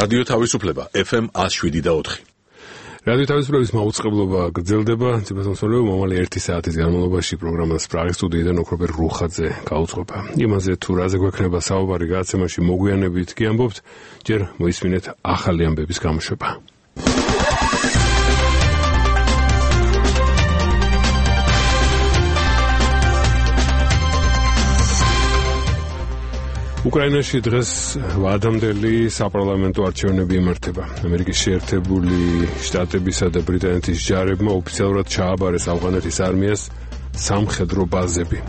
რადიო თავისუფლება FM 107.4. რადიო თავისუფლების მაუწყებლობა გრძელდება. ციფროსამსახურეო მომალი 1 საათის განმავლობაში პროგრამას პრაღის სტუდიიდან ოქროპერ რუხაძე გაუძღვება. იმაზე თუ რაზე გვექნება საუბარი გადაცემაში მოგვიანებით კი ამბობთ, ჯერ მოისმინეთ ახალი ამბების გამოშვება. უკრაინაში დღეს ვადამდელი საპარლამენტო არჩევნები იმართება. ამერიკის შეერთებული შტატებისა და ბრიტანეთის ჯარებმა ოფიციალურად ჩააბარეს ავღანეთის არმიას სამხედრო ბაზები.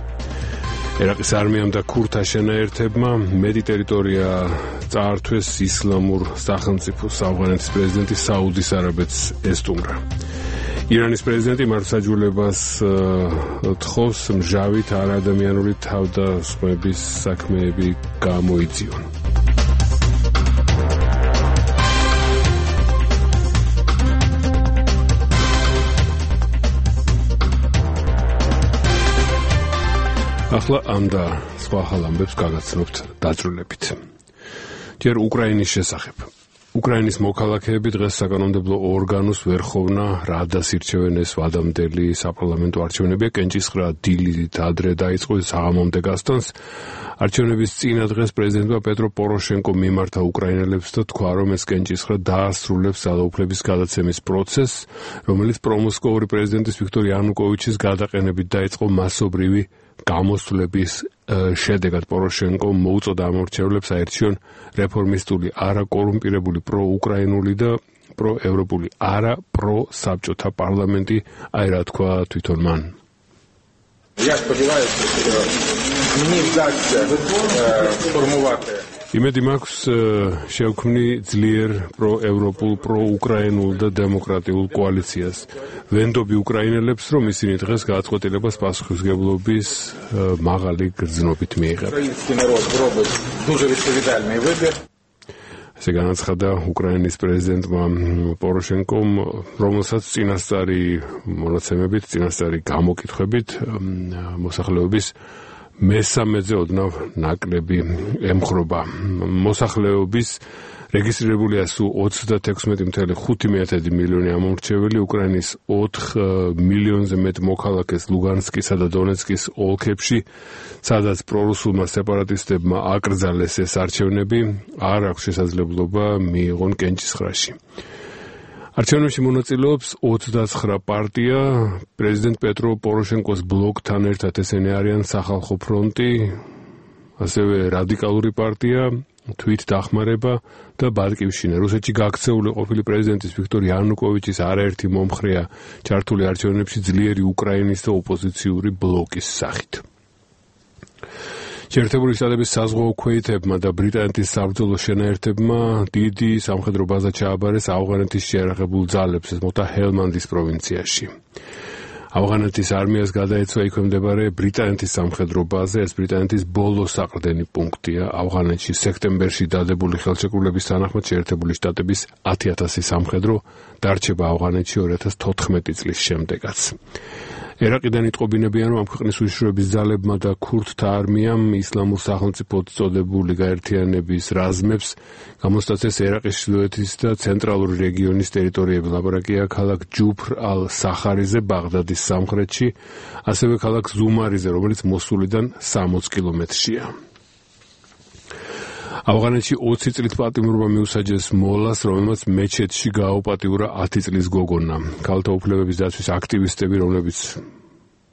ერაყის არმიამ და ქურთა შენაერთებმა მეტი ტერიტორია წაართვეს ისლამურ სახელმწიფოს. ავღანეთის პრეზიდენტი საუდის არაბეთს ესტუმრა. ირანის პრეზიდენტი მართლმსაჯულებას თხოვს მჟავით არაადამიანური თავდასხმების საქმეები გამოიძიონ. ახლა ამ და სხვა ხალ ამბებს გაგაცნობთ დაწვრილებით. ჯერ უკრაინის შესახებ. უკრაინის მოქალაქეები დღეს საკანონმდებლო ორგანოს ვერხოვნა რადას ირჩევენ. ეს ვადამდელი საპარლამენტო არჩევნებია. კენჭისყრა დილით ადრე დაიწყო საღამომდე გასტანს. არჩევნების წინა დღეს პრეზიდენტმა პეტრო პოროშენკომ მიმართა უკრაინელებს და თქვა, რომ ეს კენჭისყრა დაასრულებს ძალაუფლების გადაცემის პროცესს, რომელიც პრომოსკოვური პრეზიდენტის ვიქტორ იანუკოვიჩის გადაყენებით დაიწყო მასობრივი გამოსვლების შედეგად. პოროშენკომ მოუწოდა ამორჩევლებს აერჩიონ რეფორმისტული, არაკორუმპირებული, პროუკრაინული და პროევროპული, არა პროსაბჭოთა პარლამენტი, აი რა თქვა თვითონ მან. იმედი მაქვს შევქმნი ძლიერ პროევროპულ, პროუკრაინულ და დემოკრატიულ კოალიციას. ვენდობი უკრაინელებს, რომ ისინი დღეს გადაწყვეტილებას პასუხისმგებლობის მაღალი გრძნობით მიიღებენ. ესე განაცხადა უკრაინის პრეზიდენტმა პოროშენკომ, რომელსაც წინასწარი მონაცემებით, წინასწარი გამოკითხვებით მოსახლეობის მესამედზე ოდნავ ნაკლები ემხრობა. მოსახლეობის რეგისტრირებულია სულ 36.5 მილიონი ამორჩეველი. უკრაინის 4 მილიონზე მეტ მოქალაქეს ლუგანსკისა და დონეცკის ოლქებში, სადაც პრორუსულმა სეპარატისტებმა აკრძალეს ეს არჩევნები, არ აქვს შესაძლებლობა მიიღონ კენჭისყრაში. არჩევნებში მონაწილეობს 29 პარტია. პრეზიდენტ პეტრო პოროშენკოს ბლოკთან ერთად ესენი არიან სახალხო ფრონტი, ასევე რადიკალური პარტია, თვით დახმარება და ბატკივშინა. რუსეთში გაქცეული ყოფილი პრეზიდენტის ვიქტორ იანუკოვიჩის არაერთი მომხრეა ჩართული არჩევნებში ძლიერი უკრაინის და ოპოზიციური ბლოკის სახით. შეერთებული შტატების საზღვაო ქვეითებმა და ბრიტანეთის საბრძოლო შენაერთებმა დიდი სამხედრო ბაზა ჩააბარეს ავღანეთის შეიარაღებულ ძალებს, ეს მოხდა ჰელმანდის პროვინციაში. ავღანეთის არმიას გადაეცვა იქვემდებარე ბრიტანეთის სამხედრო ბაზა. ეს ბრიტანეთის ბოლო საყრდენი პუნქტია. ავღანეთში სექტემბერში დადებული ხელშეკრულების თანახმად შეერთებული შტატების 10,000 სამხედრო დარჩება ავღანეთში 2014 წლის შემდეგაც. ერაყიდან იტყობინებიან, რომ ამ ქვეყნის უშიშროების ძალებმა და ქურთთა არმიამ ისლამურ სახელმწიფოდ წოდებული გაერთიანების რაზმებს გამოსტაცეს ერაყის ჩრდილოეთის და ცენტრალური რეგიონის ტერიტორიები. ლაპარაკია ქალაქ ჯუფრ ალ-სახარიზე, ბაღდადის სამხრეთში, ასევე ქალაქ ზუმარიზე, რომელიც მოსულიდან 60 კილომეტრშია. ავღანეთში 20 წლით პატიმრობა მიუსაჯეს მოლას, რომელმაც მეჩეთში გააუპატიურა 10 წლის გოგონა. ქალთა უფლებების დაცვის აქტივისტები, რომლებიც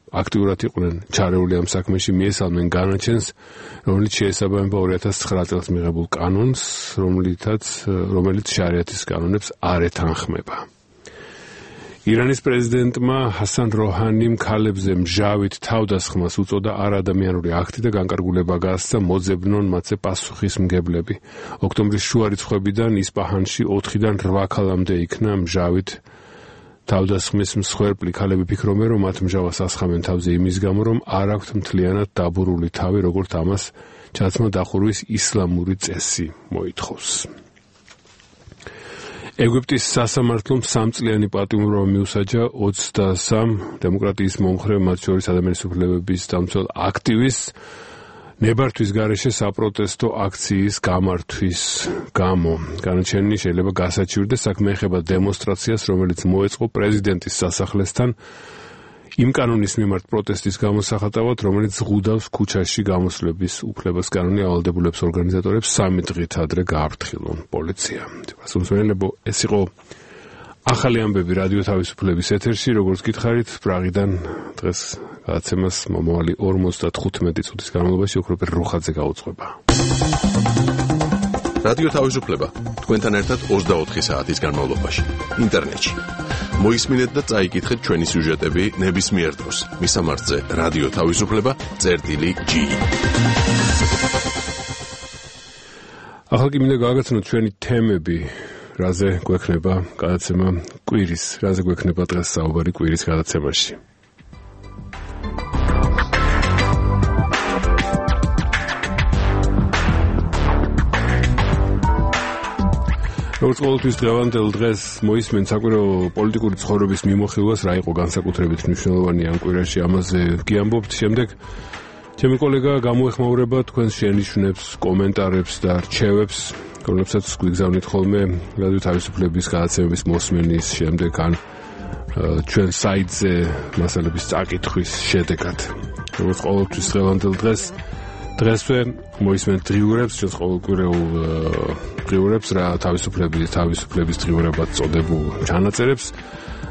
აქტიურად იყვნენ ჩარეული ამ საქმეში, მიესალმნენ განაჩენს, რომელიც შეესაბამება 2009 წელს მიღებულ კანონს, რომელიც შარიათის კანონებს არ ეთანხმება. ირანის პრეზიდენტმა ჰასან როჰანიმ ქალებზე მჟავით თავდასხმას უწოდა არაადამიანური აქტი და განკარგულება გასცა, მოძებნონ მათზე პასუხისმგებლები. ოქტომბრის შუა რიცხვებიდან ისპაჰანში 4-დან 8 ქალამდე იქნა მჟავით თავდასხმის მსხვერპლი. ქალები ფიქრობენ, რომ მათ მჟავას ასხამენ თავზე იმის გამო, რომ არ აქვთ მთლიანად დაბურული თავი, როგორც ამას ჩაცმა დახურვის ისლამური წესი მოითხოვს. ეგვიპტის სასამართლომ 3 წლიანი პატიმრობა მიუსაჯა 23 დემოკრატიის მომხრე, მათ შორის ადამიანის უფლებების დამცველ აქტივისტს ნებართვის გარეშე საპროტესტო აქციის გამართვის გამო განაჩენი შეიძლება გასაჩივრდეს საქმე ეხება დემონსტრაციას, რომელიც მოეწყო პრეზიდენტის სასახლესთან იმ კანონის მიმართ პროტესტის გამოსახატავად, რომელიც ზღუდავს ქუჩაში გამოსვლების უფლებას. კანონი ავალდებულებს ორგანიზატორებს 3 დღით ადრე გააფრთხილონ პოლიცია. სასულიერო ეს იყო ახალი ამბები რადიო თავისუფლების ეთერში, როგორც გითხარით, პრაღიდან დღეს გადაცემას მომავალი 55 წუთის განმავლობაში ოქროპერ რუხაძე გაუძღვება. რადიო თავისუფლება თქვენთან ერთად 24 საათის განმავლობაში ინტერნეტში. მოისმინეთ და წაიკითხეთ ჩვენი სიუჟეტები ნებისმიერ დროს. მისამართზე რადიო თავისუფლება.gi. ახლა კი მინდა გააგრძნოთ ჩვენი თემები, რაზე გვექნება გადაცემა კვირის, რაზე გვექნება დღეს საუბარი კვირის გადაცემაში. როგორც ყოველთვის დღევანდელ დღეს მოისმენთ საკვირაო პოლიტიკური ცხოვრების მიმოხილვას, რა იყო განსაკუთრებით მნიშვნელოვანი ამ კვირაში, ამაზე გიამბობთ. შემდეგ ჩემი კოლეგა გამოეხმაურება თქვენს შენიშვნებს, კომენტარებს და რჩევებს, რომლებსაც გვიგზავნით ხოლმე რადიო თავისუფლების გადაცემების მოსმენის შემდეგ ან ჩვენ საიტზე მასალების წაკითხვის შედეგად. როგორც ყოველთვის დღევანდელ დღესვე მოისმენთ დღიურებს, ჩვენს ყოველკვირეულ დღიურებს, რა თავისუფლების დღიურებად წოდებულ ჩანაწერებს.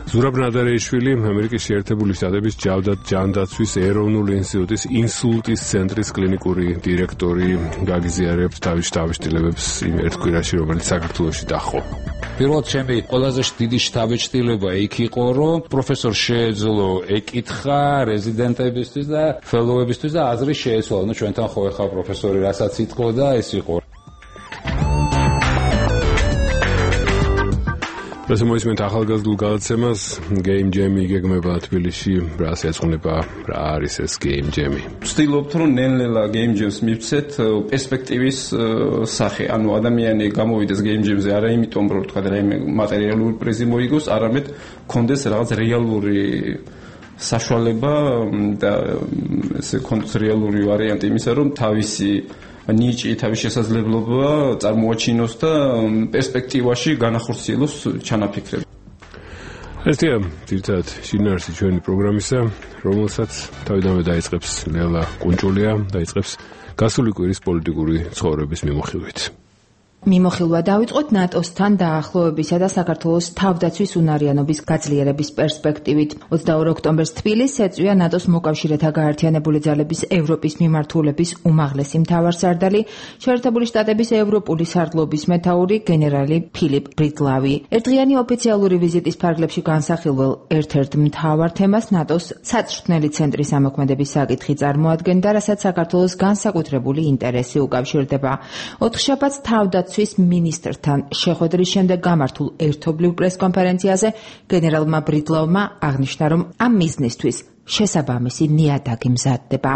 ზურაბ ნადარეიშვილი, ამერიკის შეერთებული შტატების ჯანდაცვის ეროვნული ინსტიტუტის ინსულტის ცენტრის კლინიკური დირექტორი, გაგიზიარებთ თავის შთაბეჭდილებებს იმ ერთ კვირაში, რომელიც საქართველოში დაჰყო. პირველად ჩემი ყველაზე დიდი შთაბეჭდილება იქ იყო, რომ პროფესორ შეეძლო ეკითხა რეზიდენტებისთვის და ფელოუებისთვის და აზრი შეეცვალა. ნუ ჩვენთან ხო ეხა პროფესორი რასაც იტყო და ეს იყო. ეს მოისმენთ ახალგაზრდულ გადაცემას Game Jam იგეგმება თბილისში, რას ეძღვნება, რა არის ეს Game Jam? ვცდილობთ რომ ნელ-ნელა Game Jam-ს მივცეთ პერსპექტივის სახე, ანუ ადამიანი გამოვიდეს Game Jam-ზე არა იმიტომ რომ თქვა რაიმე მატერიალური პრიზი მოიგოს, არამედ კონდეს რაღაც რეალური საშუალება და ესე კონდეს რეალური ვარიანტი იმისა, რომ თავისი ნიჭი, თავის შესაძლებლობა წარმოაჩინოს და პერსპექტივაში განახორციელოს ჩანაფიქრები. ესეა ძირითადად შინაარსი ჩვენი პროგრამისა, რომელსაც თავიდანვე დაიწყებს ლელა კუნჭულია, დაიწყებს გასული კვირის პოლიტიკური ცხოვრების მიმოხილვით. მიმოხილვა დავიწყოთ ნატოსთან დაახლოებისა და საქართველოს თავდაცვის უნარიანობის გაძლიერების პერსპექტივით. 22 ოქტომბერს თბილისს ეწვია ნატოს მოკავშირეთა გაერთიანებული ძალების ევროპის მიმართულების უმაღლესი მთავარსარდალი, შეერთებული შტატების ევროპული სარდლობის მეთაური გენერალი ფილიპ ბრიტლავი. ერთდღიანი ოფიციალური ვიზიტის ფარგლებში განსახილველ ერთ-ერთ მთავარ თემას ნატოს საწვრთნელი ცენტრის ამოქმედების საკითხი წარმოადგენდა, რასაც საქართველოს განსაკუთრებული ინტერესი უკავშირდება. ოთხშაბათს თავდაცვის მინისტრთან შეხვედრის შემდეგ გამართულ ერთობლივ პრესკონფერენციაზე გენერალმა ბრიტლავმა აღნიშნა, რომ ამ მიზნისთვის შესაბამისი ნიადაგი მზადდება.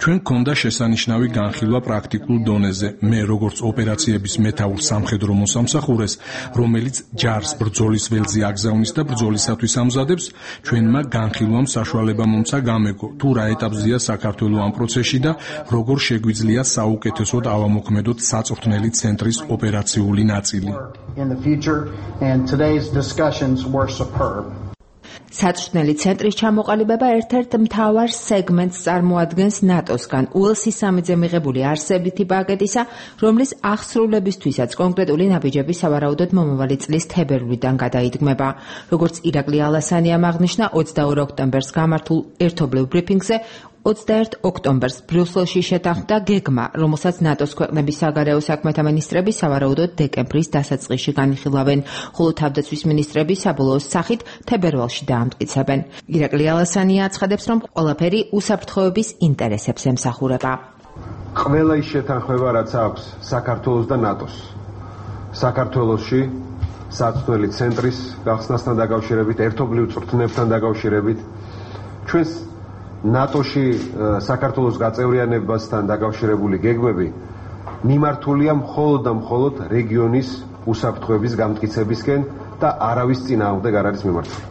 ჩვენ გქონდა შესანიშნავი განხილვა პრაქტიკულ დონეზე. მე როგორც ოპერაციების მეთაურ სამხედრო მოსამსახურეს, რომელიც ჯარს ბრძოლის ველზე აგზავნის და ბრძოლისათვის ამზადებს, ჩვენმა განხილვამ საშუალება მომცა გამეგო, თუ რა ეტაპზეა საქართველო ამ პროცესში და როგორ შეგვიძლია საუკეთესოდ ავამოქმედოთ საწვრთნელი ცენტრის ოპერაციული ნაწილი. საწვრთნელი ცენტრის ჩამოყალიბება ერთ-ერთ მთავარ სეგმენტს წარმოადგენს ნატოსგან უელსის სამიძე მიღებული არსებითი პაკეტისა, რომლის აღსრულებისთვისაც კონკრეტული ნაბიჯები სავარაუდოდ მომავალი წლის თებერვლიდან გადაიდგმება. როგორც ირაკლი ალასანიამ აღნიშნა 22 ოქტომბერს გამართულ ერთობლივ ბრიფინგზე, 21 ოქტომბერს ბრიუსელში შეთანხმდა გეგმა, რომელსაც ნატოს ქვეყნების საგარეო საქმეთა მინისტრები სავარაუდოდ დეკემბრის დასაწყისში განიხილავენ, ხოლო თავდაცვის მინისტრები საბოლოო სახით თებერვალში დაამტკიცებენ. ირაკლი ალასანია აცხადებს, რომ ყველაფერი უსაფრთხოების ინტერესებს ემსახურება. ყველა ის შეთანხმება, რაც აქვს საქართველოს და ნატოს. საქართველოში საწვრთნელი ცენტრის გახსნასთან დაკავშირებით, ერთობლივ წვრთნებთან დაკავშირებით, ჩვენს ნატოში საქართველოს გაწევრიანებასთან დაკავშირებული გეგმები მიმართულია მხოლოდ და მხოლოდ რეგიონის უსაფრთხოების გამტკიცებისკენ და არავის წინააღმდეგ არ არის მიმართული.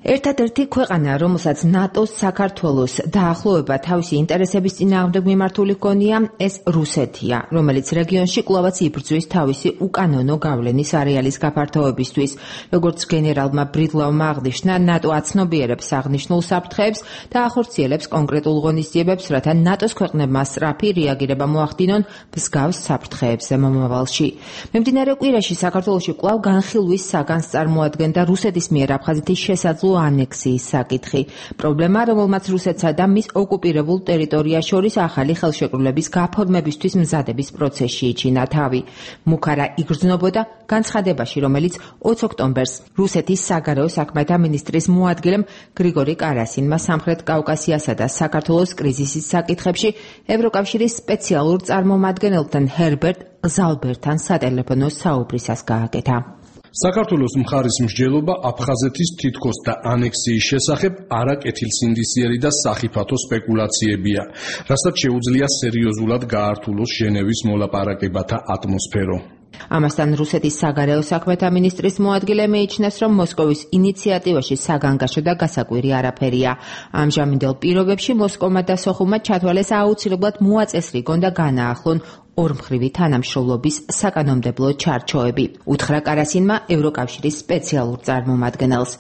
ერთადერთი ქვეყანა, რომელსაც ნატოს საქართველოს დაახლოება თავისი ინტერესების წინააღმდეგ მიმართული ჰქონია, ეს რუსეთია, რომელიც რეგიონში კვლავაც იბრძვის თავისი უკანონო გავლენის არეალის გაფართოებისთვის. როგორც გენერალმა ბრიდლავმა აღნიშნა, ნატო აცნობიერებს აღნიშნულ საფრთხეებს და ახორციელებს კონკრეტულ ღონისძიებებს, რათა ნატოს ქვეყნებმა სწრაფი რეაგირება მოახდინონ მსგავს საფრთხეებზე მომავალში. მიმდინარე კვირაში საქართველოში კვლავ განხილვის საგანს წარმოადგენდა რუსეთის მიერ აფხაზეთის შესაძლო ანექსიის საკითხი. პრობლემა, რომელმაც რუსეთსა და მის ოკუპირებულ ტერიტორიას შორის ახალი ხელშეკრულების გაფორმებისთვის მზადების პროცესში იჩინა თავი. მუქარა იგრძნობოდა განცხადებაში, რომელიც 20 ოქტომბერს რუსეთის საგარეო საქმეთა მინისტრის მოადგილემ გრიგორი კარასინმა სამხრეთ კავკასიასა და საქართველოს კრიზისის საკითხებში ევროკავშირის სპეციალურ წარმომადგენელთან ჰერბერტ ზალბერთან სატელეფონო საუბრისას გააკეთა. საქართველოს მხარის მსჯელობა აფხაზეთის თითქოს და ანექსიის შესახებ არაკეთილსინდისიერი და სახიფათო სპეკულაციებია, რასაც შეუძლია სერიოზულად გაართულოს ჟენევის მოლაპარაკებათა ატმოსფერო. ამასთან რუსეთის საგარეო საქმეთა მინისტრის მოადგილე მიიჩნევს, რომ მოსკოვის ინიციატივაში საგანგაშო და გასაკვირი არაფერია. ამჟამინდელ პირობებში მოსკოვმა და სოხუმმა ჩათვალეს აუცილებლად მოაწესრიგონ და განაახლონ ორმხრივი თანამშრომლობის საკანონმდებლო ჩარჩოები. უთხრა კარასინმა ევროკავშირის სპეციალურ წარმომადგენელს.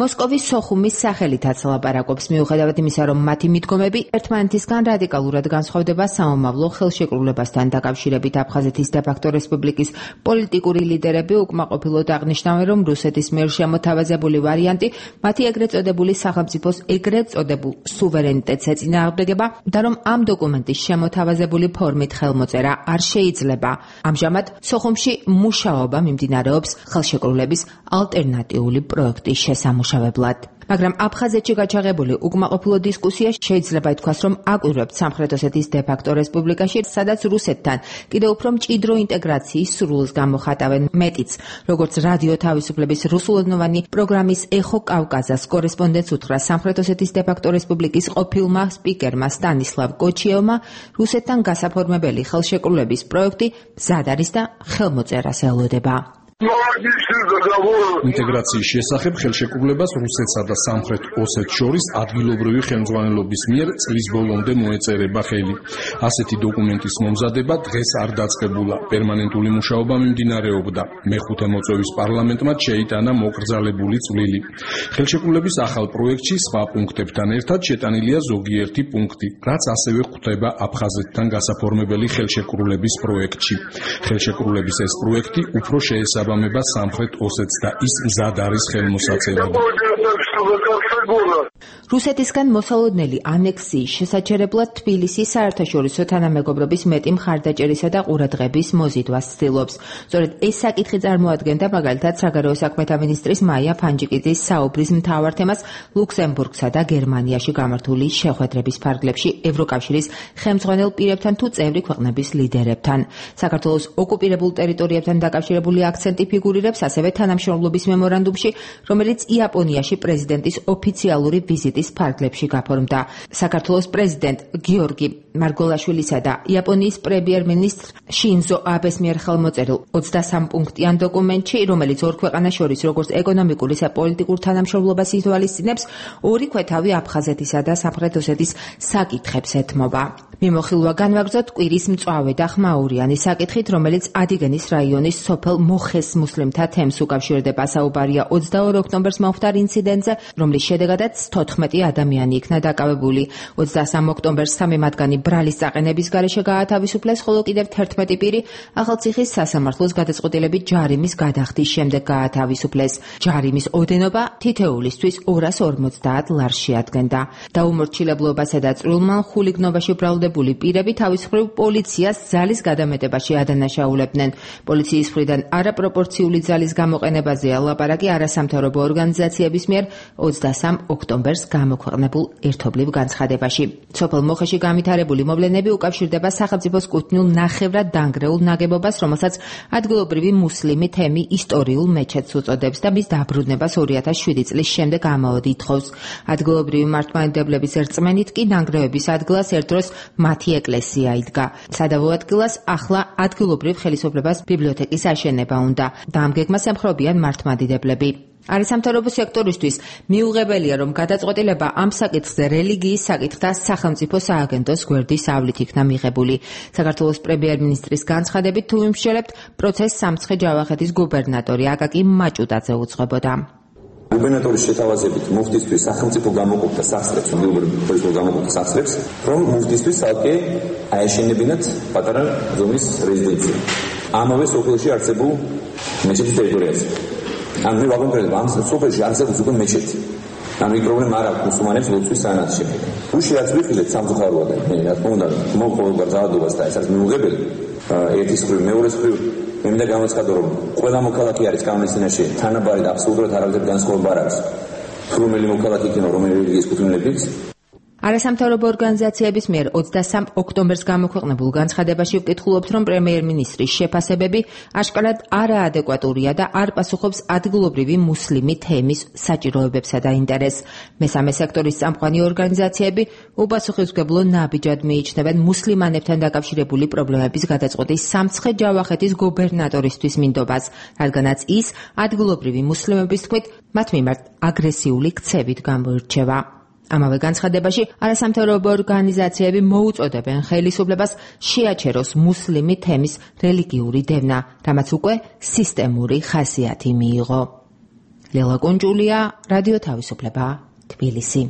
მოსკოვის სოხუმის სახელითაც ლაპარაკობს, მიუხედავად იმისა, რომ მათი მიდგომები ერთმანეთისგან რადიკალურად განსხვავდება სამომავლო ხელშეკრულებასთან დაკავშირებით. აფხაზეთის დე-ფაქტო რესპუბლიკის პოლიტიკური ლიდერები უკმაყოფილოდ აღნიშნავენ, რომ რუსეთის მიერ შემოთავაზებული ვარიანტი მათი ეგრეთ წოდებული სახელმწიფოს ეგრეთ წოდებულ სუვერენიტეტს ეწინააღმდეგება და რომ ამ დოკუმენტის შემოთავაზებული ფორმით ხელმოწერა არ შეიძლება. ამჟამად სოხუმში მუშაობა მიმდინარეობს ხელშეკრულების ალტერნატიული პროექტის შესამუშავებლად. მაგრამ აფხაზეთში გაჩაღებული უკმაყოფილო დისკუსია შეიძლება ითქვას, რომ აკვირვებთ სამხრეთ ოსეთის დე-ფაქტო რესპუბლიკაში, სადაც რუსეთთან კიდევ უფრო მჭიდრო ინტეგრაციის სურვილს გამოხატავენ. მეტიც, როგორც რადიო თავისუფლების რუსულენოვანი პროგრამის ეხო კავკაზას კორესპონდენტს უთხრა სამხრეთ ოსეთის დე-ფაქტო რესპუბლიკის ყოფილმა სპიკერმა სტანისლავ კოჩიევმა, რუსეთთან გასაფორმებელი ხელშეკრულების პროექტი მზად არის და ხელმოწერას ელოდება. ინტეგრაციის შესახებ ხელშეკრულებას რუსეთსა და სამხრეთ ოსეთს შორის ადგილობრივი ხელმძღვანელობის მიერ წლის ბოლომდე მოეწერება ხელი. ასეთი დოკუმენტის მომზადება დღეს არ დაწყებულა. პერმანენტული მუშაობა მიმდინარეობდა. მეხუთე მოწვევის პარლამენტმა შეიტანა მოკრძალებული წვლილი. ხელშეკრულების ახალ პროექტში სხვა პუნქტებთან ერთად შეტანილია ზოგიერთი პუნქტი, რაც ასევე ხვდება აფხაზეთთან გასაფორმებელი ხელშეკრულების პროექტში. ხელშეკრულების ეს პროექტი უფრო შეესაბამება სამხრეთ ოსეთს და ის მზად არის ხელმოსაწერად. რუსეთისგან მოსალოდნელი ანექსიის შესაჩერებლად თბილისი საერთაშორისო თანამეგობრობის მეტი მხარდაჭერისა და ყურადღების მოზიდვას ცდილობს. სწორედ ეს საკითხი წარმოადგენდა მაგალითად საგარეო საქმეთა მინისტრის მაია ფანჯიკიძის საუბრის მთავარ თემას ლუქსემბურგსა და გერმანიაში გამართული შეხვედრების ფარგლებში ევროკავშირის ხელმძღვანელ პირებთან თუ წევრი ქვეყნების ლიდერებთან. საქართველოს ოკუპირებულ ტერიტორიებთან დაკავშირებული აქცენტი ფიგურირებს ასევე თანამშრომლობის მემორანდუმში, რომელიც იაპონიაში პრეზიდენტის ოფიციალური ვიზიტის ფარგლებში გაფორმდა. საქართველოს პრეზიდენტ გიორგი მარგოლაშვილისა და იაპონიის პრემიერ-მინისტრ შინზო აბეს მიერ ხელმოწერილ 23 პუნქტიან დოკუმენტში, რომელიც ორ ქვეყანას შორის როგორც ეკონომიკურ, ისე პოლიტიკურ თანამშრომლობას ითვალისწინებს, ორი ქვეთავი აფხაზეთისა და სამხრეთ ოსეთის საკითხებს ეთმობა. მიმოხილვა განვაგრძოთ კვირის მწვავე და ხმაურიანი საკითხით, რომელიც ადიგენის რაიონის სოფელ მოხეს მუსლიმთა თემს უკავშირდება. საუბარია 22 ოქტომბერს მომხდარ ინციდენტზე, რომლის შედეგადაც 14 ადამიანი იქნა დაკავებული. 23 ოქტომბერს 3 მათგანი ბრალის წაყენების გარეშე გაათავისუფლეს, ხოლო კიდევ 11 პირი ახალციხის სასამართლოს გადაწყვეტილებით ჯარიმის გადახდის შემდეგ გაათავისუფლეს. ჯარიმის ოდენობა თითეულისთვის 250 ლარს შეადგენდა. დაუმორჩილებლობასა და წვრილმან ხულიგნობაში ბრალდებული პირები თავისუფლებ პოლიციას ძალის გადამეტებაში ადანაშაულებდნენ. პოლიციის მხრიდან არაპროპორციული ძალის გამოყენებაზეა ლაპარაკი არასამთავრობო ორგანიზაციების მიერ 23 ოქტომბერს გამოქვეყნებულ ერთობლივ განცხადებაში. სოფელ მოხეში განვითარებული მოვლენები უკავშირდება სახელმწიფოს კუთვნილ ნახევრად დანგრეულ ნაგებობას, რომელსაც ადგილობრივი მუსლიმი თემი ისტორიულ მეჩეთს უწოდებს და მის დაბრუნებას 2007 წლის შემდეგ ამაოდ ითხოვს. ადგილობრივი მართლმადიდებლების რწმენით კი ნანგრევების ადგილას ერთდროს მათი ეკლესია იდგა. სადავო ადგილას ახლა ადგილობრივ ხელისუფლებას ბიბლიოთეკის აშენება უნდა და ამ გეგმას ემხრობიან მართლმადიდებლები. არის სამთავრობო სექტორისთვის მიუღებელია, რომ გადაწყვეტილება ამ საკითხზე რელიგიის საკითხთა სახელმწიფო სააგენტოს გვერდის ავლით იქნა მიღებული. საქართველოს პრემიერ-მინისტრის განცხადებით, თუ ვიმსჯელებთ, პროცესს სამცხე-ჯავახეთის გუბერნატორი აკაკი მაჭუტაძე უძღვებოდა. გუბერნატორის შეთავაზებით მუფტისთვის სახელმწიფო გამოყოფდა სახსრებს, რომ მუფტისთვის ალკე აეშენებინათ პატარა ზომის რეზიდენცია. ამავე სოფელში არსებულ მეჩეთის ტერიტორიაზე. ან მე ვაგონტრებ ამ სოფელში არსებობს უკვე მეჩეთი. ამი პრობლემა არ აქვს მუსულმანებს ლოცვის სანაცვლოდ. უში რაც ვიხილეთ სამწუხაროა და მე რა თქმა უნდა მოყოლება ძალადობას და ეს არის მიუღებელი. ერთის მხრივ, მეორეს მხრივ მე მინდა გამოცხადო, რომ ყველა მოქალაქე არის კანონის წინაშე თანაბარი და აბსოლუტურად არავითარი განსხვავება არ არის. თუ რომელი მოქალაქე იქნება, რომელი რელიგიის კუთვნილებით არასამთავრობო ორგანიზაციების მიერ 23 ოქტომბერს გამოქვეყნებულ განცხადებაში ვკითხულობთ, რომ პრემიერ-მინისტრის შეფასებები აშკარად არაადეკვატურია და არ პასუხობს ადგილობრივი მუსლიმი თემის საჭიროებებსა და ინტერესს. მესამე სექტორის წამყვანი ორგანიზაციები უპასუხისმგებლო ნაბიჯად მიიჩნევენ მუსლიმანებთან დაკავშირებული პრობლემების გადაწყვეტის სამცხე-ჯავახეთის გუბერნატორისთვის მინდობას, რადგანაც ის ადგილობრივი მუსლიმების თქმით მათ მიმართ აგრესიული ქცევით გამოირჩევა. ამავე განცხადებაში არასამთავრობო ორგანიზაციები მოუწოდებენ ხელისუფლებას შეაჩეროს მუსლიმი თემის რელიგიური დევნა, რამაც უკვე სისტემური ხასიათი მიიღო. ლელა კუნჯულია, რადიო თავისუფლება, თბილისი.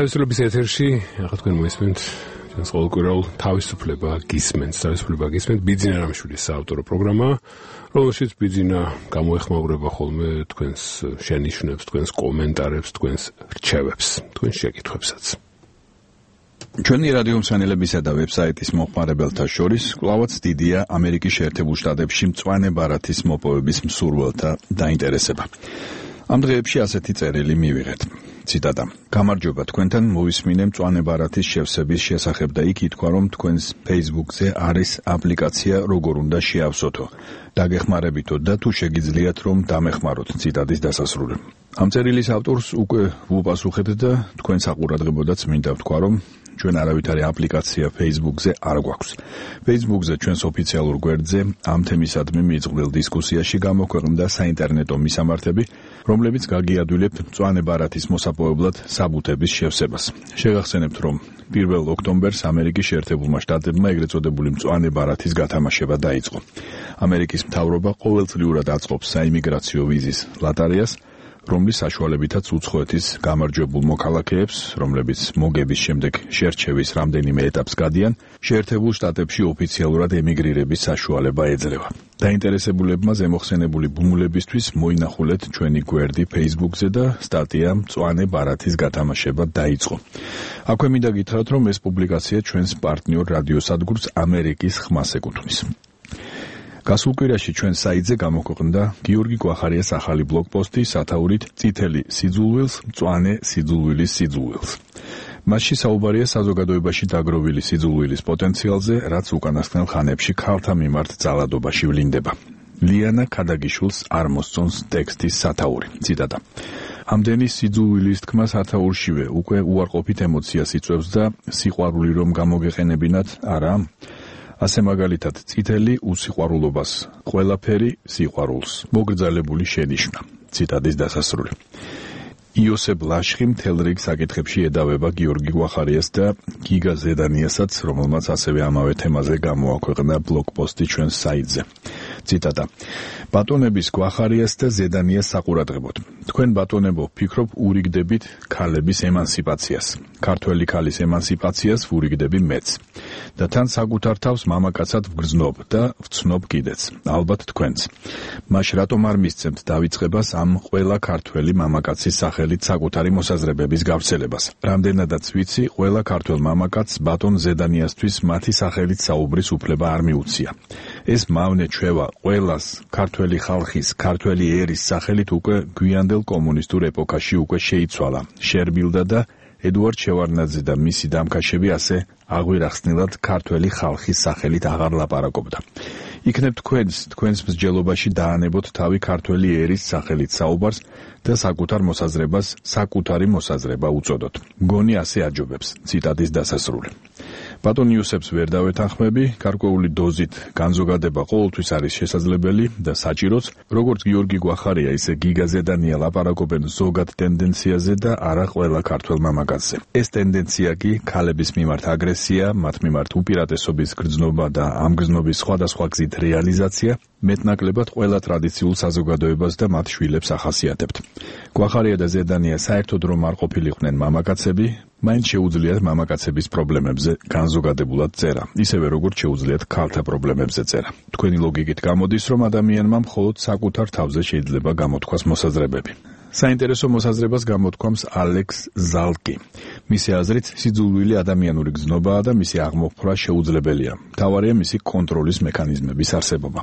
თავისუფლების ეთერში ახლა თქვენ მოისმენთ ჩვენს ყოველკვირეულ თავისუფლება გისმენთ ბიძინა რამიშვილის საავტორო პროგრამა, რომელშიც ბიძინა გამოეხმაურება ხოლმე თქვენს შენიშვნებს, თქვენს კომენტარებს, თქვენს რჩევებს, თქვენს შეკითხვებსაც. ჩვენი რადიო მსმენელებისა და ვებსაიტის მომხმარებელთა შორის კვლავაც დიდია ამერიკის შეერთებულ შტატებში მწვანე ბარათის მოპოვების მსურველთა დაინტერესება. ამ დღეებში ასეთი წერილი მივიღეთ. ციტატა: გამარჯობა, თქვენთან მოვისმინე მწვანე ბარათის შევსების შესახებ და იქ ითქვა, რომ თქვენს Facebook-ზე არის აპლიკაცია როგორ უნდა შეავსოთო. დაგეხმარებითო და თუ შეგიძლიათ რომ დამეხმაროთ. ციტატის დასასრული. ამ წერილის ავტორს უკვე ვუპასუხეთ და თქვენ საყურადღებოდაც მინდა ვთქვა, რომ ჩვენ არავითარი აპლიკაცია Facebook-ზე არ გვაქვს. Facebook-ზე ჩვენს ოფიციალურ გვერდზე ამ თემისადმი მიწყვილ დისკუსიაში გამოქვეყნდა საინტერნეტო მისამართები, რომლებიც გაგიადვილებთ მწვანე ბარათის მოსაპოვებლად საბუთების შევსებას. შეგახსენებთ, რომ 1 ოქტომბერს ამერიკის შეერთებულმა შტატებმა ეგრეთ წოდებული მწვანე ბარათის გათამაშება დაიწყო. ამერიკის მთავრობა ყოველწლიურად აწყობს საიმიგრაციო ვიზის ლატარიას, რომლის საშუალებითაც უცხოეთის გამარჯვებულ მოქალაქეებს, რომლებიც მოგების შემდეგ შერჩევის რამდენიმე ეტაპს გადიან, შეერთებულ შტატებში ოფიციალურად ემიგრირების საშუალება ეძლევა. დაინტერესებულებმა ზემოხსენებული ბუმულებისთვის მოინახულეთ ჩვენი გვერდი Facebook-ზე და სტატია მწვანე ბარათის გათამაშება დაიწყო. აქვე მინდა გითხრათ, რომ ეს პუბლიკაცია ჩვენს პარტნიორ რადიოსადგურს ამერიკის ხმას ეკუთვნის. გასულ კვირაში ჩვენ საიტზე გამოქვეყნდა გიორგი გვახარიას ახალი ბლოგპოსტი სათაურით წითელი სიძულვილს, მწვანე სიძულვილის სიძულვილს. მასში საუბარია საზოგადოებაში დაგროვილი სიძულვილის პოტენციალზე, რაც უკანასკნელ ხანებში ქალთა მიმართ ძალადობაში ვლინდება. ლიანა ქადაგიშვილს არ მოსწონს ტექსტის სათაური. ციტატა. ამდენი სიძულვილის თქმა სათაურშივე უკვე უარყოფით ემოციას იწვევს და სიყვარული რომ გამოგეყენებინათ, არა? ასე მაგალითად წითელი უსიყვარულობას, ყველაფერი სიყვარულს, მოგრძალებული შენიშვნა. ციტატის დასასრული. იოსებ ლაშხი მთელ რიგ საკითხებში ედავება გიორგი გვახარიას და გიგა ზედანიასაც, რომელმაც ასევე ამავე თემაზე გამოაქვეყნა ბლოგპოსტი ჩვენს საიტზე. ციტატა. ბატონების გვახარიას და ზედანიას საყურადღებოდ. თქვენ ბატონებო ვფიქრობ ურიგდებით ქალების ემანსიპაციას. ქართველი ქალის ემანსიპაციას ვურიგდები მეც. და თან საკუთარ თავს მამაკაცად ვგრძნობ და ვცნობ კიდეც. ალბათ თქვენც. მაშ რატომ არ მისცემთ დავიწყებას ამ ყველა ქართველი მამაკაცის სახელით საკუთარი მოსაზრებების გავრცელებას? რამდენადაც ვიცი, ყველა ქართველ მამაკაცს ბატონ ზედანიასთვის მათი სახელით საუბრის უფლება არ მიუცია. ეს მავნე ჩვევა ყველას ქართველი ხალხის, ქართველი ერის სახელით უკვე გვიანდელ კომუნისტურ ეპოქაში უკვე შეიცვალა, შერბილდა და ედუარდ შევარდნაძე და მისი დამქაშები ასე აღვირახსნილად ქართველი ხალხის სახელით აღარ ლაპარაკობდა. იქნებ თქვენს მსჯელობაში დაანებოთ თავი ქართველი ერის სახელით საუბარს და საკუთარ მოსაზრებას საკუთარი მოსაზრება უწოდოთ. მგონი ასე აჯობებს. ციტატის დასასრული. ბატონ იუსებს ვერ დავეთანხმები, გარკვეული დოზით განზოგადება ყოველთვის არის შესაძლებელი და საჭიროც, როგორც გიორგი გვახარია, ისე გიგა ზედანია ლაპარაკობენ ზოგად ტენდენციაზე და არა ყველა ქართველ მამაკაცზე. ეს ტენდენცია კი ქალების მიმართ აგრესია, მათ მიმართ უპირატესობის გრძნობა და ამ გრძნობის სხვადასხვა გზით რეალიზაცია მეტნაკლებად ყველა ტრადიციულ საზოგადოებას და მათ შვილებს ახასიათებთ. გვახარია და ზედანია საერთოდ რომ არ ყოფილიყვნენ მამაკაცები, მაინც შეუძლიათ მამაკაცების პრობლემებზე განზოგადებულად წერა, ისევე როგორც შეუძლიათ ქალთა პრობლემებზე წერა. თქვენი ლოგიკით გამოდის, რომ ადამიანმა მხოლოდ საკუთარ თავზე შეიძლება გამოთქვას მოსაზრებები. საინტერესო მოსაზრებას გამოთქვამს ალექს ზალკი. მისი აზრით, სიძულვილი ადამიანური გზნობაა და მისი აღმოფხვრა შეუძლებელია. მთავარია მისი კონტროლის მექანიზმების არსებობა.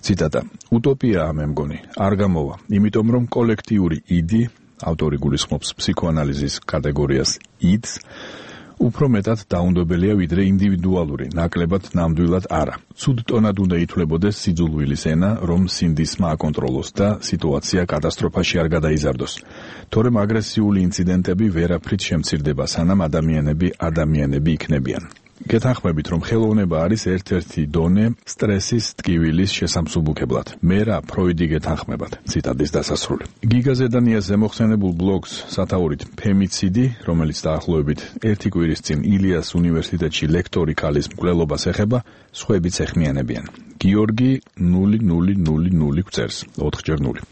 ციტატა. უტოპიაა მე მგონი, არ გამოვა, იმიტომ რომ კოლექტიური იდი, ავტორი გულისხმობს ფსიქოანალიზის კატეგორიას იდს, უფრო მეტად დაუნდობელია ვიდრე ინდივიდუალური, ნაკლებად ნამდვილად არა. ცუდ ტონად უნდა ითვლებოდეს სიძულვილის ენა, რომ სინდისმა აკონტროლოს და სიტუაცია კატასტროფაში არ გადაიზარდოს. თორემ აგრესიული ინციდენტები ვერაფრით შემცირდება, სანამ ადამიანები იქნებიან. გეთანხმებით, რომ ხელოვნება არის ერთ-ერთი დონე სტრესის ტკივილის შესამსუბუქებლად. მე რა ფროიდი გეთანხმებათ. ციტატის დასასრული. გიგა ზედანიას ზემოხსენებულ ბლოგს სათაურით ფემიციდი, რომელიც დაახლოებით 1 კვირის წინ ილიას უნივერსიტეტში ლექტორი ქალის მკვლელობას ეხება, სხვაებიც ეხმიანებიან. გიორგი 0000 გვწერს 4x0.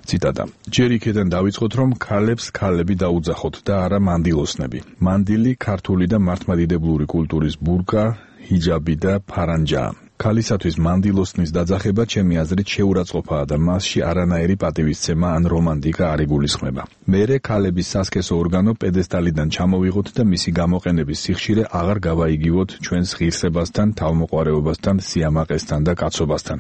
ციტატა. ჯერ იქიდან დავიწყოთ, რომ ქალებს ქალები დაუძახოთ და არა მანდილოსნები. მანდილი ქართული და მართლმადიდებლური კულტურის ბურკა, ჰიჯაბი და ფარანჯაა. ქალისათვის მანდილოსნის დაძახება ჩემი აზრით შეურაცხყოფაა და მასში არანაირი პატივისცემა ან რომანტიკა არ იგულისხმება. მერე ქალების სასქესო ორგანო პედესტალიდან ჩამოვიღოთ და მისი გამოყენების სიხშირე აღარ გავაიგივოთ ჩვენს ღირსებასთან, თავმოყვარეობასთან, სიამაყესთან და კაცობასთან.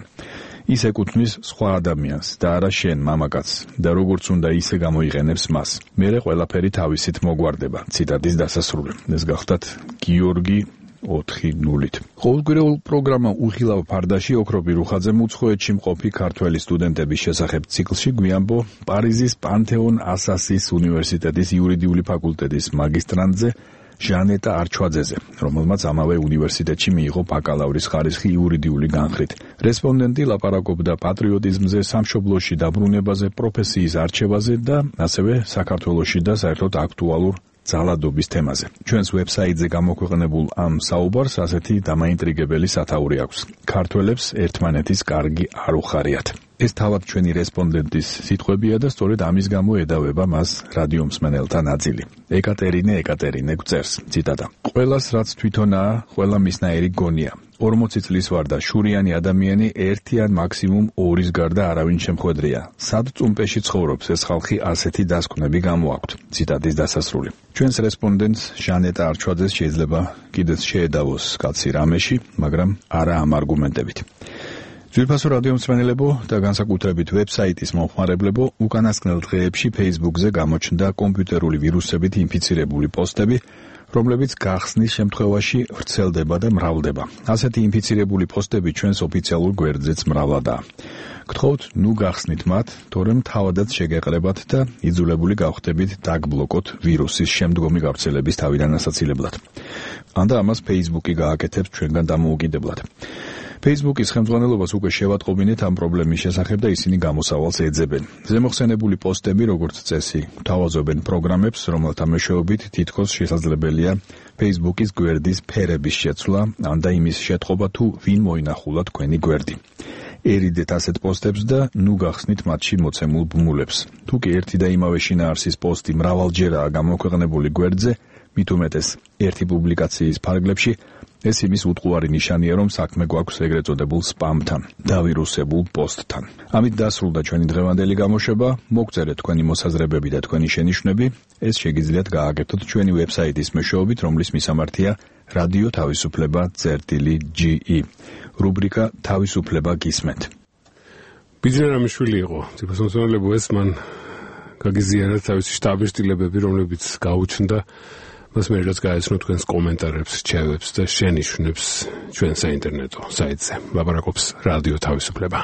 ის ეკუთვნის სხვა ადამიანს და არა შენ მამაკაცს და როგორც უნდა ისე გამოიყენებს მას. მერე ყველაფერი თავისით მოგვარდება. ციტატის დასასრული. ეს გახდათ გიორგი 4:0. ყოველკვირეულ პროგრამა უხილავ ფარდაში ოქრობი რუხაძემ უცხოეთში მყოფი ქართველი სტუდენტების შესახებ ციკლში გვიამბო პარიზის პანთეონ ასასის უნივერსიტეტის იურიდიული ფაკულტეტის მაგისტრანტზე ჟანეტა არჩვაძეზე, რომელმაც ამავე უნივერსიტეტში მიიღო ბაკალავრის ხარისხი იურიდიული განხრით. რესპონდენტი ლაპარაკობდა პატრიოტიზმზე, სამშობლოში დაბრუნებაზე, პროფესიის არჩევაზე და ასევე საქართველოში და საერთოდ აქტუალურ ძალადობის თემაზე. ჩვენს ვებსაიტზე გამოქვეყნებულ ამ საუბარს ასეთი დამაინტრიგებელი სათაური აქვს. ქართველებს ერთმანეთის კარგი არ უხარიათ. ეს თავად ჩვენი რესპონდენტის სიტყვებია და სწორედ ამის გამო ედავება მას რადიო მსმენელთა ნაწილი. ეკატერინე გვწერს, ციტატა: ყველას რაც თვითონაა, ყველა მისნაირი გონია. 40 წლის ვარ და შურიანი ადამიანი ერთი ან მაქსიმუმ ორის გარდა არავინ შემხვედრია. სად წუმპეში ცხოვრობს ეს ხალხი, ასეთი დასკვნები გამოაქვთ. ციტატის დასასრული. ჩვენს რესპონდენტს ჟანეტა არჩვაძეს შეიძლება კიდეც შეედავოს კაცი რამეში, მაგრამ არა ამ არგუმენტებით. ძვირფასო რადიო მსმენელებო და განსაკუთრებით ვებსაიტის მომხმარებლებო, უკანასკნელ დღეებში Facebook-ზე გამოჩნდა კომპიუტერული ვირუსებით ინფიცირებული პოსტები, რომლებიც გახსნის შემთხვევაში ვრცელდება და მრავლდება. ასეთი ინფიცირებული პოსტები ჩვენს ოფიციალურ გვერდზეც მრავლადაა. გთხოვთ, ნუ გახსნით მათ, თორემ თავადაც შეგეყრებათ და იძულებული გავხდებით დაგბლოკოთ ვირუსის შემდგომი გავრცელების თავიდან ასაცილებლად. ან და ამას Facebook-ი გააკეთებს ჩვენგან დამოუკიდებლად. Facebook-ის ხელმძღვანელობას უკვე შევატყობინეთ ამ პრობლემის შესახებ და ისინი გამოსავალს ეძებენ. ზემოხსენებული პოსტები, როგორც წესი, გვთავაზობენ პროგრამებს, რომელთა მეშვეობით თითქოს შესაძლებელია Facebook-ის გვერდის ფერების შეცვლა, ან და იმის შეტყობა თუ ვინ მოინახულა თქვენი გვერდი. ერიდეთ ასეთ პოსტებს და ნუ გახსნით მათში მოცემულ ბმულებს. თუ კი ერთი და იმავე შინაარსის პოსტი მრავალჯერაა გამოქვეყნებული გვერდზე, მით უმეტეს ერთი პუბლიკაციის ფარგლებში, ეს იმის უტყუარი ნიშანია, რომ საქმე გვაქვს ეგრეთ წოდებულ სპამთან, დავირუსებულ პოსტთან. ამით დასრულდა ჩვენი დღევანდელი გამოშვება. მოგწერეთ თქვენი მოსაზრებები და თქვენი შენიშვნები. ეს შეგიძლიათ გააკეთოთ ჩვენი ვებსაიტის მეშვეობით, რომლის მისამართია რადიო თავისუფლება.ge. რუბრიკა თავისუფლება გისმენთ. ბიძინა რამიშვილი იყო. ძირფასმომცემელებო, ეს მან გაგიზიარა თავისი შტაბის სტილებები, რომლებიც გაუჩნდა. მას მე რაც გაეცნო თქვენს კომენტარებს, რჩევებს და შენიშვნებს ჩვენ საინტერნეტო საიტზე. ლაპარაკობს რადიო თავისუფლება.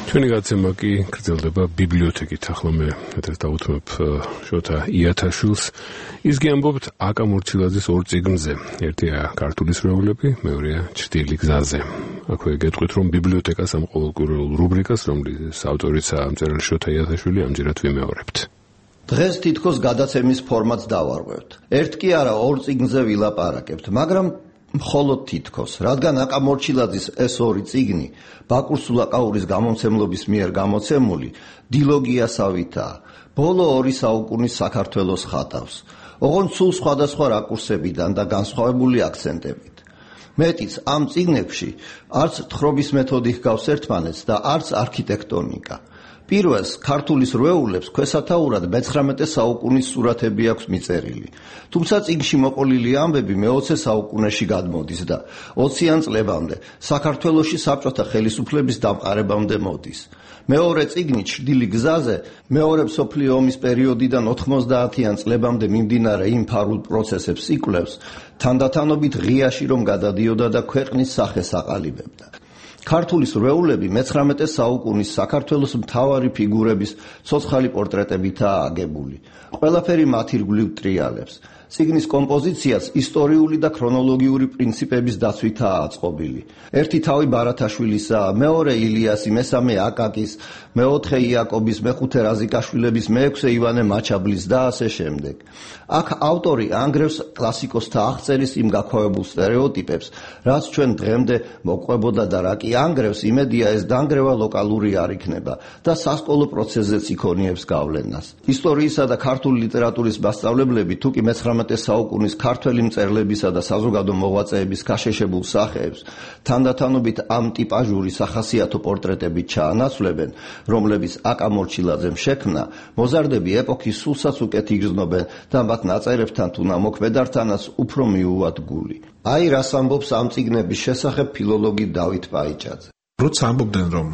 ჩვენი გაცემა კი გრძელდება ბიბლიოთეკით. ახლა მე დავუთმებ შოთა იათაშვილს. ის გიამბობთ აკა მორჩილაძის ორ წიგნზე. ერთია ქართული სრეულები, მეორეა ჩრდილი გზაზე. აქვე გეტყვით, რომ ბიბლიოთეკას ამ ყოველკვირეულ რუბრიკას, რომლის ავტორიცაა მწერალი შოთა იათაშვილი, ამჯერად ვიმეორებთ. დღეს თითქოს გადაცემის ფორმატს დავარღვევთ. ერთ კი არა, ორ წიგნზე ვილაპარაკებთ, მაგრამ მხოლოდ თითქოს, რადგან აკა მორჩილაძის ეს ორი წიგნი ბაკურ სულაკაურის გამომცემლობის მიერ გამოცემული დილოგიასავითაა, ბოლო 2 საუკუნის საქართველოს ხატავს, ოღონდ სულ სხვადასხვა რაკურსებიდან და განსხვავებული აქცენტებით. მეტიც, ამ წიგნებში არც თხრობის მეთოდი ჰგავს ერთმანეთს და არც არქიტექტონიკა. პირველს ქართულის რვეულებს ქვესათაურად მე-19 საუკუნის სურათები აქვს მიწერილი. თუმცა წიგნში მოყოლილი ამბები მე-20 საუკუნეში გადმოდის და 20-იან წლებამდე საქართველოში საბჭოთა ხელისუფლების დამყარებამდე მოდის. მეორე წიგნი ჩრდილი გზაზე მეორე მსოფლიო ომის პერიოდიდან 90-იან წლებამდე მიმდინარე იმ ფარულ პროცესებს იკვლევს, თანდათანობით ღიაში რომ გადადიოდა და ქვეყნის სახეს აყალიბებდა. ქართულის რვეულები მე-19 საუკუნის საქართველოს მთავარი ფიგურების ცოცხალი პორტრეტებითაა აგებული. ყველაფერი მათ ირგვლივ ტრიალებს. წიგნის კომპოზიციაც ისტორიული და ქრონოლოგიური პრინციპების დაცვითაა აწყობილი. ერთი თავი ბარათაშვილისაა, მეორე ილიასი, მესამე აკაკის, მეოთხე იაკობის, მეხუთე რაზიკაშვილების, მეექვსე ივანე მაჩაბლის და ასე შემდეგ. აქ ავტორი ანგრევს კლასიკოსთა აღწერის იმ გაქვავებულ სტერეოტიპებს, რაც ჩვენ დღემდე მოყვებოდა და რა კი ანგრევს, იმედია ეს დანგრევა ლოკალური არ იქნება და სასკოლო პროცესზეც იქონიებს გავლენას. ისტორიისა და ქართული ლიტერატურის მასწავლებლები თუკი მე-19 საუკუნის ქართველი მწერლებისა და საზოგადო მოღვაწეების გაშეშებულ სახეებს თანდათანობით ამ ტიპაჟური სახასიათო პორტრეტებით ჩაანაცვლებენ, რომლებიც აკა მორჩილაძემ შექმნა, მოზარდები ეპოქის სულსაც უკეთ იგრძნობენ და მათ ნაწერებთან თუ ნამოქმედართანაც უფრო მიუვათ გული. აი რას ამბობს ამ წიგნების შესახებ ფილოლოგი დავით პაიჭაძე. როცა ამბობდნენ, რომ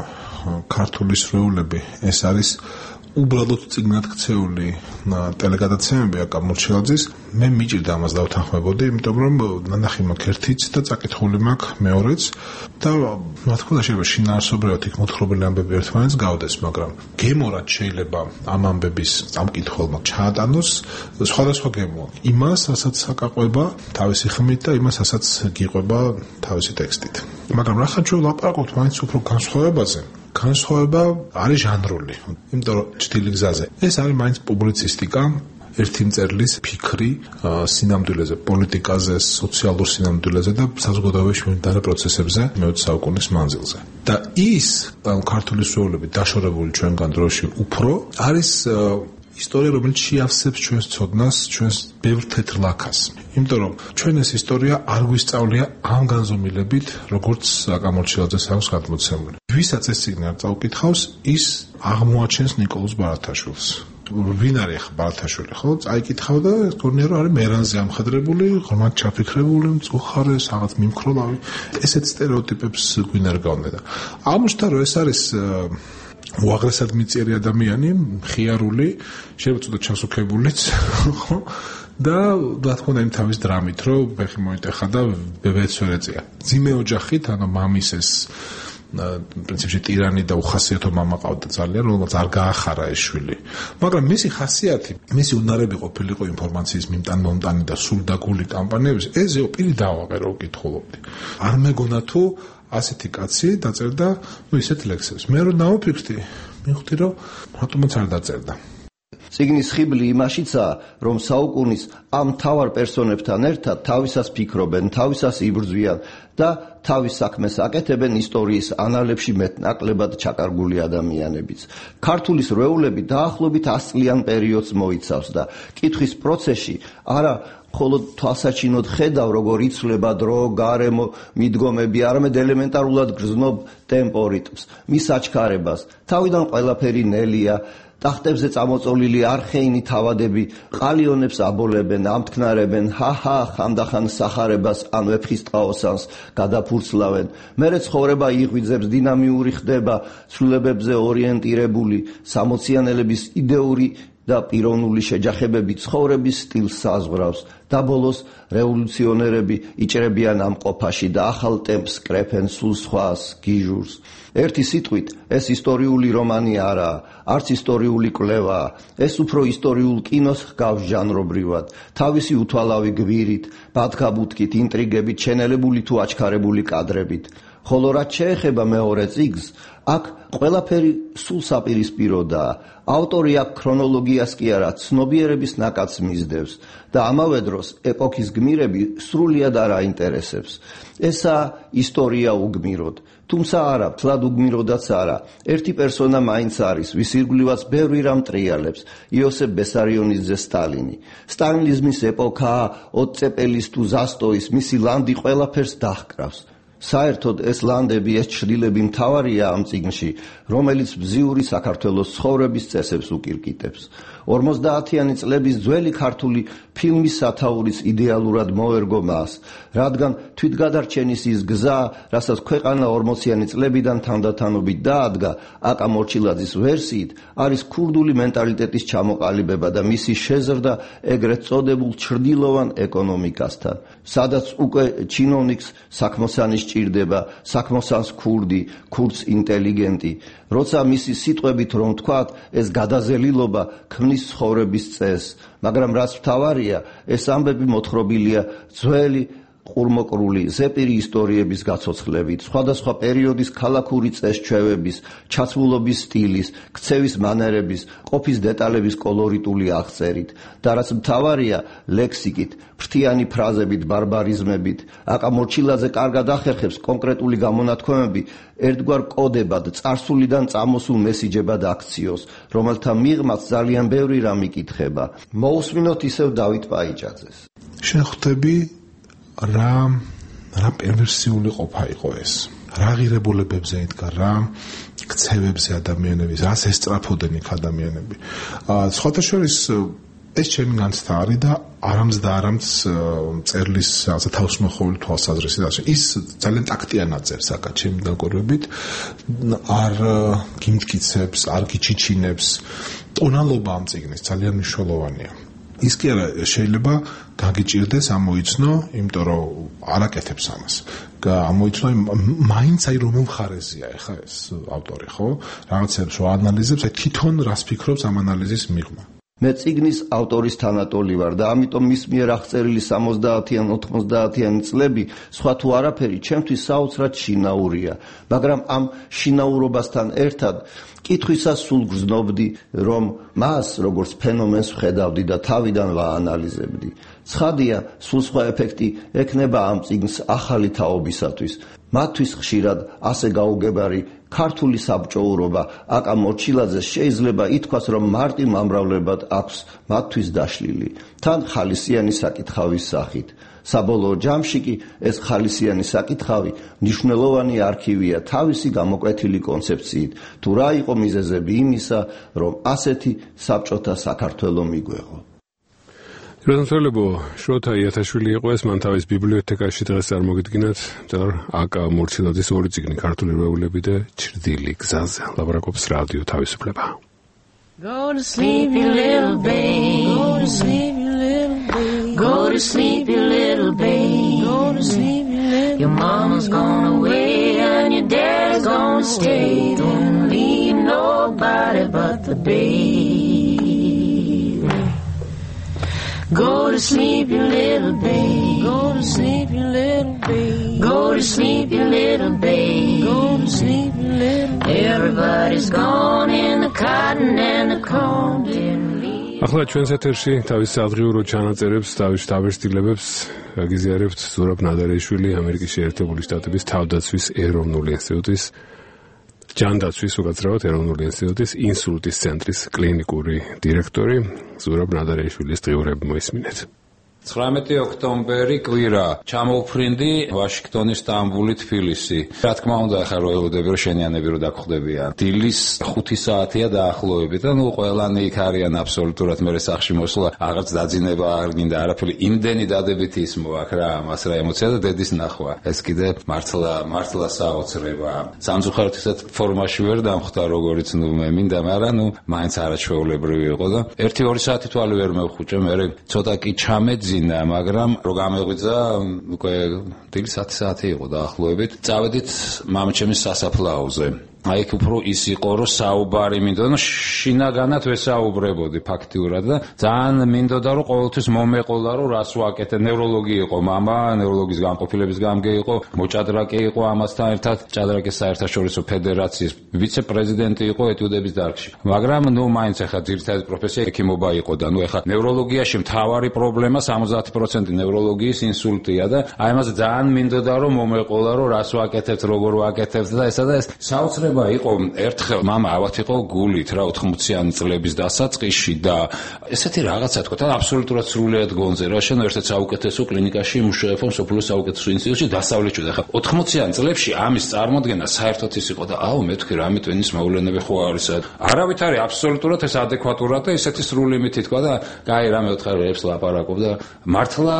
ქართული სრეულები ეს არის უბრალოდ წიგნად ქცეული ტელეგადაცემები აკამორჩილაძის მე მიჭირდა ამას დავთანხმებოდი იმიტომ რომ ნანახი მაქვს ერთიც და წაკითხული მაქვს მეორეც და რა თქმა უნდა შეიძლება შინაარსობრივად იქ მოთხრობილი ამბები ერთმანეთს გავდეს მაგრამ გემორად შეიძლება ამ ამბების წამკითხველმა ჩაატანოს სხვადასხვა გემო იმას რასაც აკაყვება თავისი ხმით და იმას რასაც გიყვება თავისი ტექსტით მაგრამ რახან ჩვენ ვლაპარაკობთ მაინც უფრო განსხვავებაზე განსხვავება არის ჟანრული იმიტომ რომ ჭრილი გზაზე ეს არის მაინც პუბლიცისტიკა ერთი მწერლის ფიქრი სინამდვილეზე პოლიტიკაზე სოციალურ სინამდვილეზე და საზოგადოებაში მიმდინარე პროცესებზე მე-20 საუკუნის მანძილზე და ის ქართული სრეულები დაშორებული ჩვენგან დროში უფრო არის ისტორია რომელიც შეავსებს ჩვენს ცოდნას ჩვენს ბევრ თეთრ ლაქას იმიტომ რომ ჩვენ ეს ისტორია არ გვისწავლია ამ განზომილებით როგორც აკამორჩილაძეს აქვს გადმოცემული ვისაც ეს წიგნი არ წაუკითხავს ის აღმოაჩენს ნიკოლოზ ბარათაშვილს ვინ არის ახლა ბარათაშვილი ხო წაიკითხავ და გქონია რომ არის მერანზე ამხადრებული ღრმად ჩაფიქრებული მწუხარე რაღაც მიმქროლავი ესეთ სტერეოტიპებს გვინ არ გავნე და აღმოჩნდა რომ ეს არის უაღრესად მიწიერი ადამიანი, მხიარული, შეიძლება ცოტა ჩასუქებულიც, ხო? და რა თქმა უნდა იმ თავის დრამით, რომ ფეხი მოიტეხა და ბებეც ვერ ეწია. ძიმე ოჯახით, ანუ მამის ეს პრინციპში ტირანი და უხასიათო მამა ყავდა ძალიან, რომელსაც არ გაახარა ეს შვილი. მაგრამ მისი ხასიათი, მისი უნარები ყოფილიყო ინფორმაციის მიმტან-მომტანი და სულდაგული კამპანიების, ეზეო პირი დავაყერო უკითხულობდი. არ მეგონა თუ ასეთი კაცი დაწერდა ისეთ ლექსებს. მე რომ დავფიქრდი, მივხვდი რომ რატომაც არ დაწერდა. წიგნის ხიბლი იმაშიცაა, რომ საუკუნის ამ მთავარ პერსონებთან ერთად თავისას ფიქრობენ, თავისას იბრძვიან და თავის საქმეს აკეთებენ ისტორიის ანალებში მეტნაკლებად ჩაკარგული ადამიანებიც. ქართული სრეულები დაახლოებით 100 წლიან პერიოდს მოიცავს და კითხვის პროცესში არა მხოლოდ თვალსაჩინოდ ხედავ, როგორ იცვლება დრო, გარემო, მიდგომები, არამედ ელემენტარულად გრძნობ ტემპო რიტმს, მის აჩქარებას. თავიდან ყველაფერი ნელია, ტახტებზე წამოწოლილი არხეინი თავადები ყალიონებს აბოლებენ, ამთქნარებენ, ჰაჰა, ხანდახან სახარებას ან ვეფხისტყაოსანს გადაფურცლავენ. მერე ცხოვრება იღვიძებს, დინამიური ხდება, ცვლილებებზე ორიენტირებული, სამოციანელების იდეური და პიროვნული შეჯახებები ცხოვრების სტილს საზღვრავს და ბოლოს რევოლუციონერები იჭრებიან ამ ყოფაში და ახალ ტემპს კრეფენ სულ სხვას გიჟურს. ერთი სიტყვით, ეს ისტორიული რომანი არაა, არც ისტორიული კვლევაა, ეს უფრო ისტორიულ კინოს ჰგავს ჟანრობრივად, თავისი უთვალავი გვირით, ბათქაბუთქით, ინტრიგებით, შენელებული თუ აჩქარებული კადრებით. ხოლო რაც შეეხება მეორე წიგნს, აქ ყველაფერი სულ საპირისპიროდაა. ავტორი აქ ქრონოლოგიას კი არა, ცნობიერების ნაკადს მისდევს და ამავე დროს ეპოქის გმირები სრულიად არ აინტერესებს. ესაა ისტორია უგმიროდ. თუმცა არა, თლად უგმიროდაც არა. ერთი პერსონა მაინც არის, ვის ირგვლივაც ბევრი რამ ტრიალებს, იოსებ ბესარიონიძე სტალინი. სტალინიზმის ეპოქაა, ოტწეპელის თუ ზასტოის, მისი ლანდი ყველაფერს დაჰკრავს. საერთოდ ეს ლანდები, ეს ჩრდილები მთავარია ამ წიგნში, რომელიც ბზიური საქართველოს ცხოვრების წესებს უკირკიტებს. 50-იანი წლების ძველი ქართული ფილმის სათაურის იდეალურად მოერგო მას, რადგან თვითგადარჩენის ის გზა, რასაც ქვეყანა 40-იანი წლებიდან თანდათანობით დაადგა, აკა მორჩილაძის ვერსიით, არის ქურდული მენტალიტეტის ჩამოყალიბება და მისი შეზრდა ეგრეთ წოდებულ ჩრდილოვან ეკონომიკასთან, სადაც უკვე ჩინოვნიკს საქმოსანი სჭირდება, საქმოსანს ქურდი, ქურდს ინტელიგენტი. როცა მისი სიტყვებით რომ თქვათ, ეს გადაზელილობა ქმნის ცხოვრების წესს, მაგრამ რაც მთავარია, ეს ამბები მოთხრობილია ძველი ყურმოკრული ზეპირი ისტორიების გაცოცხლებით, სხვადასხვა პერიოდის ქალაქური წესჩვევების, ჩაცმულობის სტილის, ქცევის მანერების, ყოფის დეტალების კოლორიტული აღწერით და რაც მთავარია, ლექსიკით, ფრთიანი ფრაზებით, ბარბარიზმებით. აკა მორჩილაძე კარგად ახერხებს კონკრეტული გამონათქვამები ერთგვარ კოდებად, წარსულიდან წამოსულ მესიჯებად აქციოს, რომელთა მიღმაც ძალიან ბევრი რამ იკითხება. მოусმინოთ ისევ დავით პაიჭაძეს. შეხვდები რა პერვერსიული ყოფა იყო ეს. რა ღირებულებებზე იდგა, რა ქცევებზე ადამიანების, რას ესწრაფოდნენ იქ ადამიანები. სხვათა შორის ეს ჩემი განცდა არის და არამც და არამც წერლის რაღაცა თავისმოხეული თვალსაზრისით ასე. ის ძალიან ტაქტიანად წერს აკა ჩემი დაკვირვებით, არ გიმტკიცებს, არ გიჩიჩინებს. ტონალობა ამ წიგნის ძალიან მნიშვნელოვანია. ის კი არა შეიძლება გაგიჭირდეს ამოიცნო, იმიტომ რომ არაკეთებს ამას. ამოიცნო მაინც აი რომელ მხარეზეა ეხა ეს ავტორი, ხო? რაღაცებს რო ანალიზებს, აი თვითონ რას ფიქრობს ამ ანალიზის მიღმა. მე წიგნის ავტორის თანატოლი ვარ და ამიტომ მის მიერ აღწერილი 70-იან 90-იან წლები სხვა თუ არაფერი ჩემთვის საოცრად შინაურია, მაგრამ ამ შინაურობასთან ერთად კითხვისას სულ გრძნობდი, რომ მას როგორც ფენომენს ვხედავდი და თავიდან ვაანალიზებდი. ცხადია, სულ სხვა ეფექტი ექნება ამ წიგნს ახალი თაობისათვის. მათთვის ხშირად ასე გაუგებარი ქართული საბჭოურობა აკა მორჩილაძეს შეიძლება ითქვას, რომ მარტივ ამრავლებად აქვს მათთვის დაშლილი, თან ხალისიანი საკითხავის სახით. საბოლოო ჯამში კი ეს ხალისიანი საკითხავი მნიშვნელოვანი არქივია თავისი გამოკვეთილი კონცეფციით, თუ რა იყო მიზეზები იმისა, რომ ასეთი საბჭოთა საქართველო მიგვეღო. როდესაც შროთა იათაშვილი იყო ეს, მან თავის ბიბლიოთეკაში დღეს წარმოგიდგინათ აკა მორჩილაძის ორი წიგნი ქართული რვეულები და ჩრდილი გზაზე. ლაპარაკობს რადიო თავისუფლება. Go to sleep, you little babe. Go to sleep, you little babe. Go to sleep, you little babe. Go to sleep, you little babe. Your mama's gone away and your dad's gonna stay. Don't leave nobody but the babe. Go to sleep, you little babe. Go to sleep, you little babe. Go to sleep, you little babe. Go to sleep, you little babe. Everybody's gone in the cotton and the corn didn't leave. ახლა ჩვენს ეთერში თავის სადღიურო ჩანაწერებს, თავის შთაბეჭდილებებს გაგიზიარებთ ზურაბ ნადარეიშვილი, ამერიკის შეერთებული შტატების თავდაცვის ეროვნული ინსტიტუტის ჯანდაცვის უკაცრავად ეროვნული ინსტიტუტის ინსულტის ცენტრის კლინიკური დირექტორი. ზურაბ ნადარეიშვილის დღიურები მოისმინეთ. 19 ოქტომბერი კვირა, ჩამოუფრინდი ვაშინგტონი, სტამბული, თბილისი. რა თქმა უნდა, ახლა რო ელოდები რომ შენიანები რო დაგხვდებიან. დილის 5 საათია დაახლოებით და ნუ ყველანი იქ არიან აბსოლუტურად მე სახში მოსვლა, აღარც დაძინება არ გინდა არაფერი, იმდენი დადებითი ის მოაქვს რა, მას რა ემოცია და დედის ნახვა. ეს კიდე მართლა საოცრება. სამწუხაროდ ფორმაში ვერ დამხვდა როგორიც ნუ მე მინდა, მაგრამ ნუ მაინც არაჩვეულებრივი იყო და 1-2 საათი თვალი ვერ მევხუჭე, მე ცოტა კი ჩამეძინა, მაგრამ რო გამეღვიძა, უკვე დილის 10 საათი იყო დაახლოებით. წავედით მამაჩემის სასაფლაოზე. აი იქ უფრო ის იყო რომ საუბარი მინდოდა, შინაგანად ვესაუბრებოდი ფაქტიურად და ძალიან მინდოდა რომ ყოველთვის მომეყოლა რომ რას ვაკეთე. ნევროლოგი იყო მამა, ნევროლოგის განყოფილების გამგე იყო, მოჭადრაკე იყო ამასთან ერთად, ჭადრაკის საერთაშორისო ფედერაციის ვიცე-პრეზიდენტი იყო ეტიუდების დარგში. მაგრამ ნუ მაინც ახლა ძირითადი პროფესია ექიმობა იყო და ნუ ახლა ნევროლოგიაში მთავარი პრობლემა 70% ნევროლოგიის ინსულტია და აი ამაზე ძალიან მინდოდა რომ მომეყოლა რომ რას ვაკეთებთ, როგორ ვაკეთებთ და ესა და ეს საოცრება იყო. ერთხელ მამა ავად იყო გულით რა 80-იანი წლების დასაწყისში და ესეთი რაღაცა თქვა და აბსოლუტურად სრულიად გონზე რა შენ ერთ-ერთ საუკეთესო კლინიკაში მუშაობ სოფლის საუკეთესო ინსტიტუტში დასავლეთში და ხა 80-იან წლებში ამის წარმოქმნა საერთოდ ის იყო და აუ მე თქვი რამე ტვენის მოვლენები ხო არის არავით არის აბსოლუტურად ეს ადეკვატურად და ესეთი სრული მითი თქვა და კაი რამე ოთხარებს ლაპარაკობ და მართლა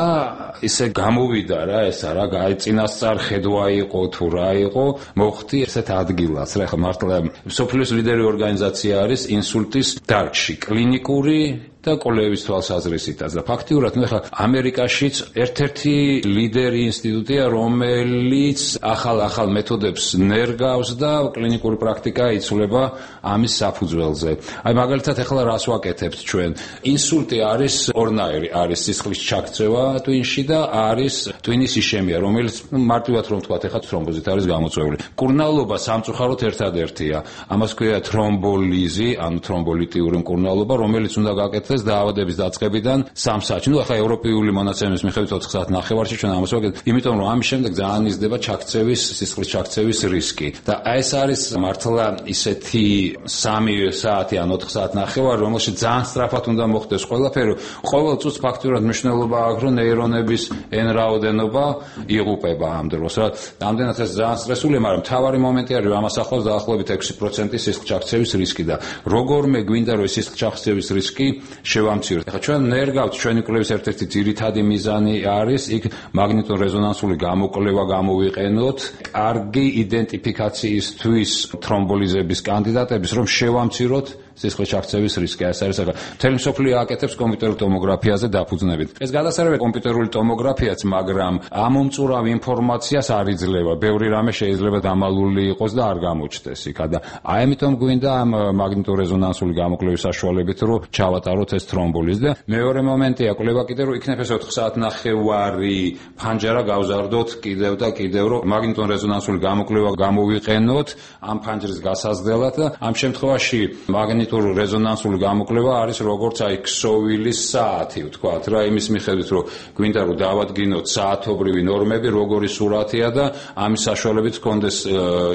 ისე გამოვიდა რა ესა რა წინასწარ ხედვა იყო თუ რა იყო მოხდი ესეთ ადგილას რა ხა მართლა სოფლის ლიდერი ორგანიზაცია არის ინსულტის დარგში კლინიკური და კოლეების თვალსაზრისითაც და ფაქტიურად ნუ ხა ამერიკაშიც ერთ-ერთი ლიდერი ინსტიტუტია რომელიც ახალ მეთოდებს ნერგავს და კლინიკური პრაქტიკა იცვლება ამის საფუძველზე. აი მაგალითად ახლა რას ვაკეთებთ ჩვენ? ინსულტი არის ორნაირი, არის სისხლის ჩაქცევა ტვინში და არის ტვინის იშემია, რომელიც მარტივად რომ ვთქვათ ახლა თრომბოზით არის გამოწვეული. მკურნალობა სამწუხაროდ ერთადერთია. ამას ქვია თრომბოლიზი, ანუ თრომბოლიტიური მკურნალობა, რომელიც უნდა გაკეთდეს დაავადების დაწყებიდან 3 საათში. ნუ ახლა ევროპული მონაცემის მიხედვით 4 საათნახევარში ჩვენ ამას ვაკეთებთ, იმიტომ რომ ამის შემდეგ ძალიან იზრდება ჩაქცევის, სისხლის ჩაქცევის რისკი. და ეს არის მართლა ისეთი 3 საათი ან 4 საათნახევარი, რომელშიც ძალიან სწრაფად უნდა მოხდეს ყველაფერი. ყოველ წუთს ფაქტურად მნიშვნელობა აქვს, რომ ნეირონების n რაოდენობა იღუპება ამ დროს. რა, ამდენად ეს ძალიან სტრესულია, მაგრამ მთავარი მომენტი არის, რომ ამას ახლავს დაახლოებით 6% სისხლის ჩაქცევის რისკი და როგორმე გვინდა რომ სისხლის ჩაქცევის რისკი შევამციროთ. ახლა ჩვენ ნერგავთ ჩვენი კვლევის ერთ-ერთი ძირითადი მიზანი არის იქ მაგნიტურ-რეზონანსული გამოკვლევა გამოვიყენოთ კარგი იდენტიფიკაციისთვის თრომბოლიზების კანდიდატების, რომ შევამციროთ სისხლის ჩაქცევის რისკი. ეს არის მთელი მსოფლიო აკეთებს კომპიუტერულ ტომოგრაფიაზე დაფუძნებით. ეს გადასარევია კომპიუტერული ტომოგრაფიაც, მაგრამ ამომწურავ ინფორმაციას არ იძლევა. ბევრი რამე შეიძლება დამალული იყოს და არ გამოჩნდეს იქ. და აი ამიტომ გვინდა ამ მაგნიტურ-რეზონანსული გამოკვლევის საშუალებით, რომ ჩავატაროთ ეს თრომბოლიზი. და მეორე მომენტია, კვლევა კიდევ რომ იქნებ ეს 4 საათნახევარი ფანჯარა გავზარდოთ კიდევ და კიდევ, რომ მაგნიტურ-რეზონანსული გამოკვლევა გამოვიყენოთ ამ ფანჯრის გასაზრდელად და ამ შემთხვევაში მაგნიტურ-რეზონანსული გამოკვლევა არის როგორც აი ქსოვილის საათი, ვთქვათ რა, იმის მიხედვით რომ გვინდა რომ დავადგინოთ საათობრივი ნორმები, როგორი სურათია და ამის საშუალებით გქონდეს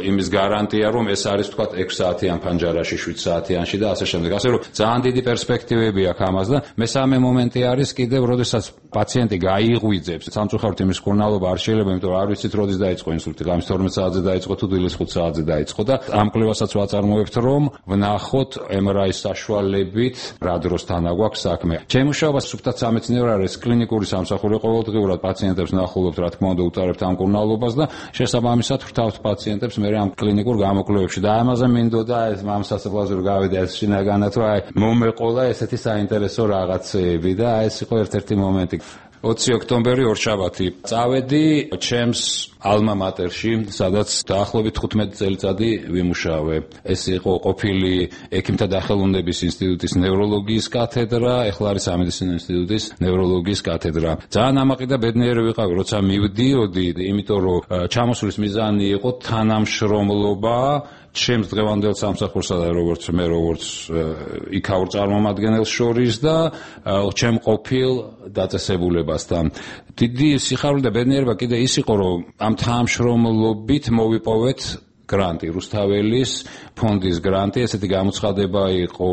იმის გარანტია, რომ ეს არის ვთქვათ 6 საათიან ფანჯარაში, 7 საათიანში და ასე შემდეგ. ასე რომ ძალიან დიდი პერსპექტივები აქვს ამას და მესამე მომენტი არის კიდევ, როდესაც პაციენტი გაიღვიძებს, სამწუხაროდ იმის მკურნალობა არ შეიძლება, იმიტომ რომ არ ვიცით როდის დაიწყო ინსულტი, ღამის 12 საათზე დაიწყო თუ დილის 5 საათზე დაიწყო და ამ კვლევასაც ვაწარმოებთ, რომ ვნახოთ MRI-ის საშუალებით რა დროს თანაგვაქვს საქმე. ჩემი მუშაობა სუფთად სამეცნიერო არის, კლინიკური სამსახური ყოველდღიურად პაციენტებს ნახულობთ, რა თქმა უნდა, უტარებთ ამ მკურნალობას და შესაბამისად ვრთავთ პაციენტებს მე ამ კლინიკურ გამოკვლევებში და ამაზე მინდოდა ეს ამ სასწავლებლაზე რომ გავიდე ეს შინაგანად, რომ აი მომეყოლა ესეთი საინტერესო რაღაცეები და ეს იყო ერთ-ერთი მომენტი. 20 ოქტომბერი ორშაბათი წავედი ჩემს ალმა მატერში, სადაც დაახლოებით 15 წელიწადი ვიმუშავე. ეს იყო ყოფილი ექიმთა დახელოვნების ინსტიტუტის ნევროლოგიის კათედრა, ეხლა არის სამედიცინო ინსტიტუტის ნევროლოგიის კათედრა. ძალიან ამაყი და ბედნიერი ვიყავი, როცა მივდიოდი, იმიტომ რომ ჩამოსვლის მიზანი იყო თანამშრომლობა ჩემს დღევანდელ სამსახურსა და როგორც იქაურ წარმომადგენელს შორის და ჩემ ყოფილ დაწესებულებასთან. დიდი სიხარული და ბედნიერება კიდე ის იყო, რომ ამ თანამშრომლობით მოვიპოვეთ გრანტი, რუსთაველის ფონდის გრანტი, ესეთი გამოცხადება იყო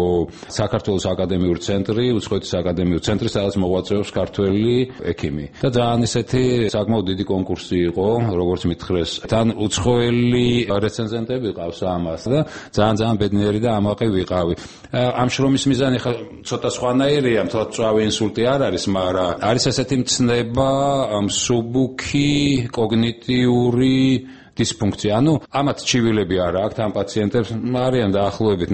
საქართველოს აკადემიური ცენტრი, უცხოეთის აკადემიური ცენტრი, სადაც მოღვაწეობს ქართველი ექიმი. და ძალიან ესეთი საკმაოდ დიდი კონკურსი იყო, როგორც მითხრეს. თან უცხოელი რეცენზენტები ყავს ამას და ძალიან ბედნიერი და ამაყი ვიყავი. ამ შრომის მიზანი ხა ცოტა სხვანაირია, მთლად მწვავე ინსულტი არ არის, მაგრამ არის ესეთი მცნება, მსუბუქი, კოგნიტიური დისფუნქცია. ამათ ჩივილები არ აქვს ამ პაციენტებს, არიან დაახლოებით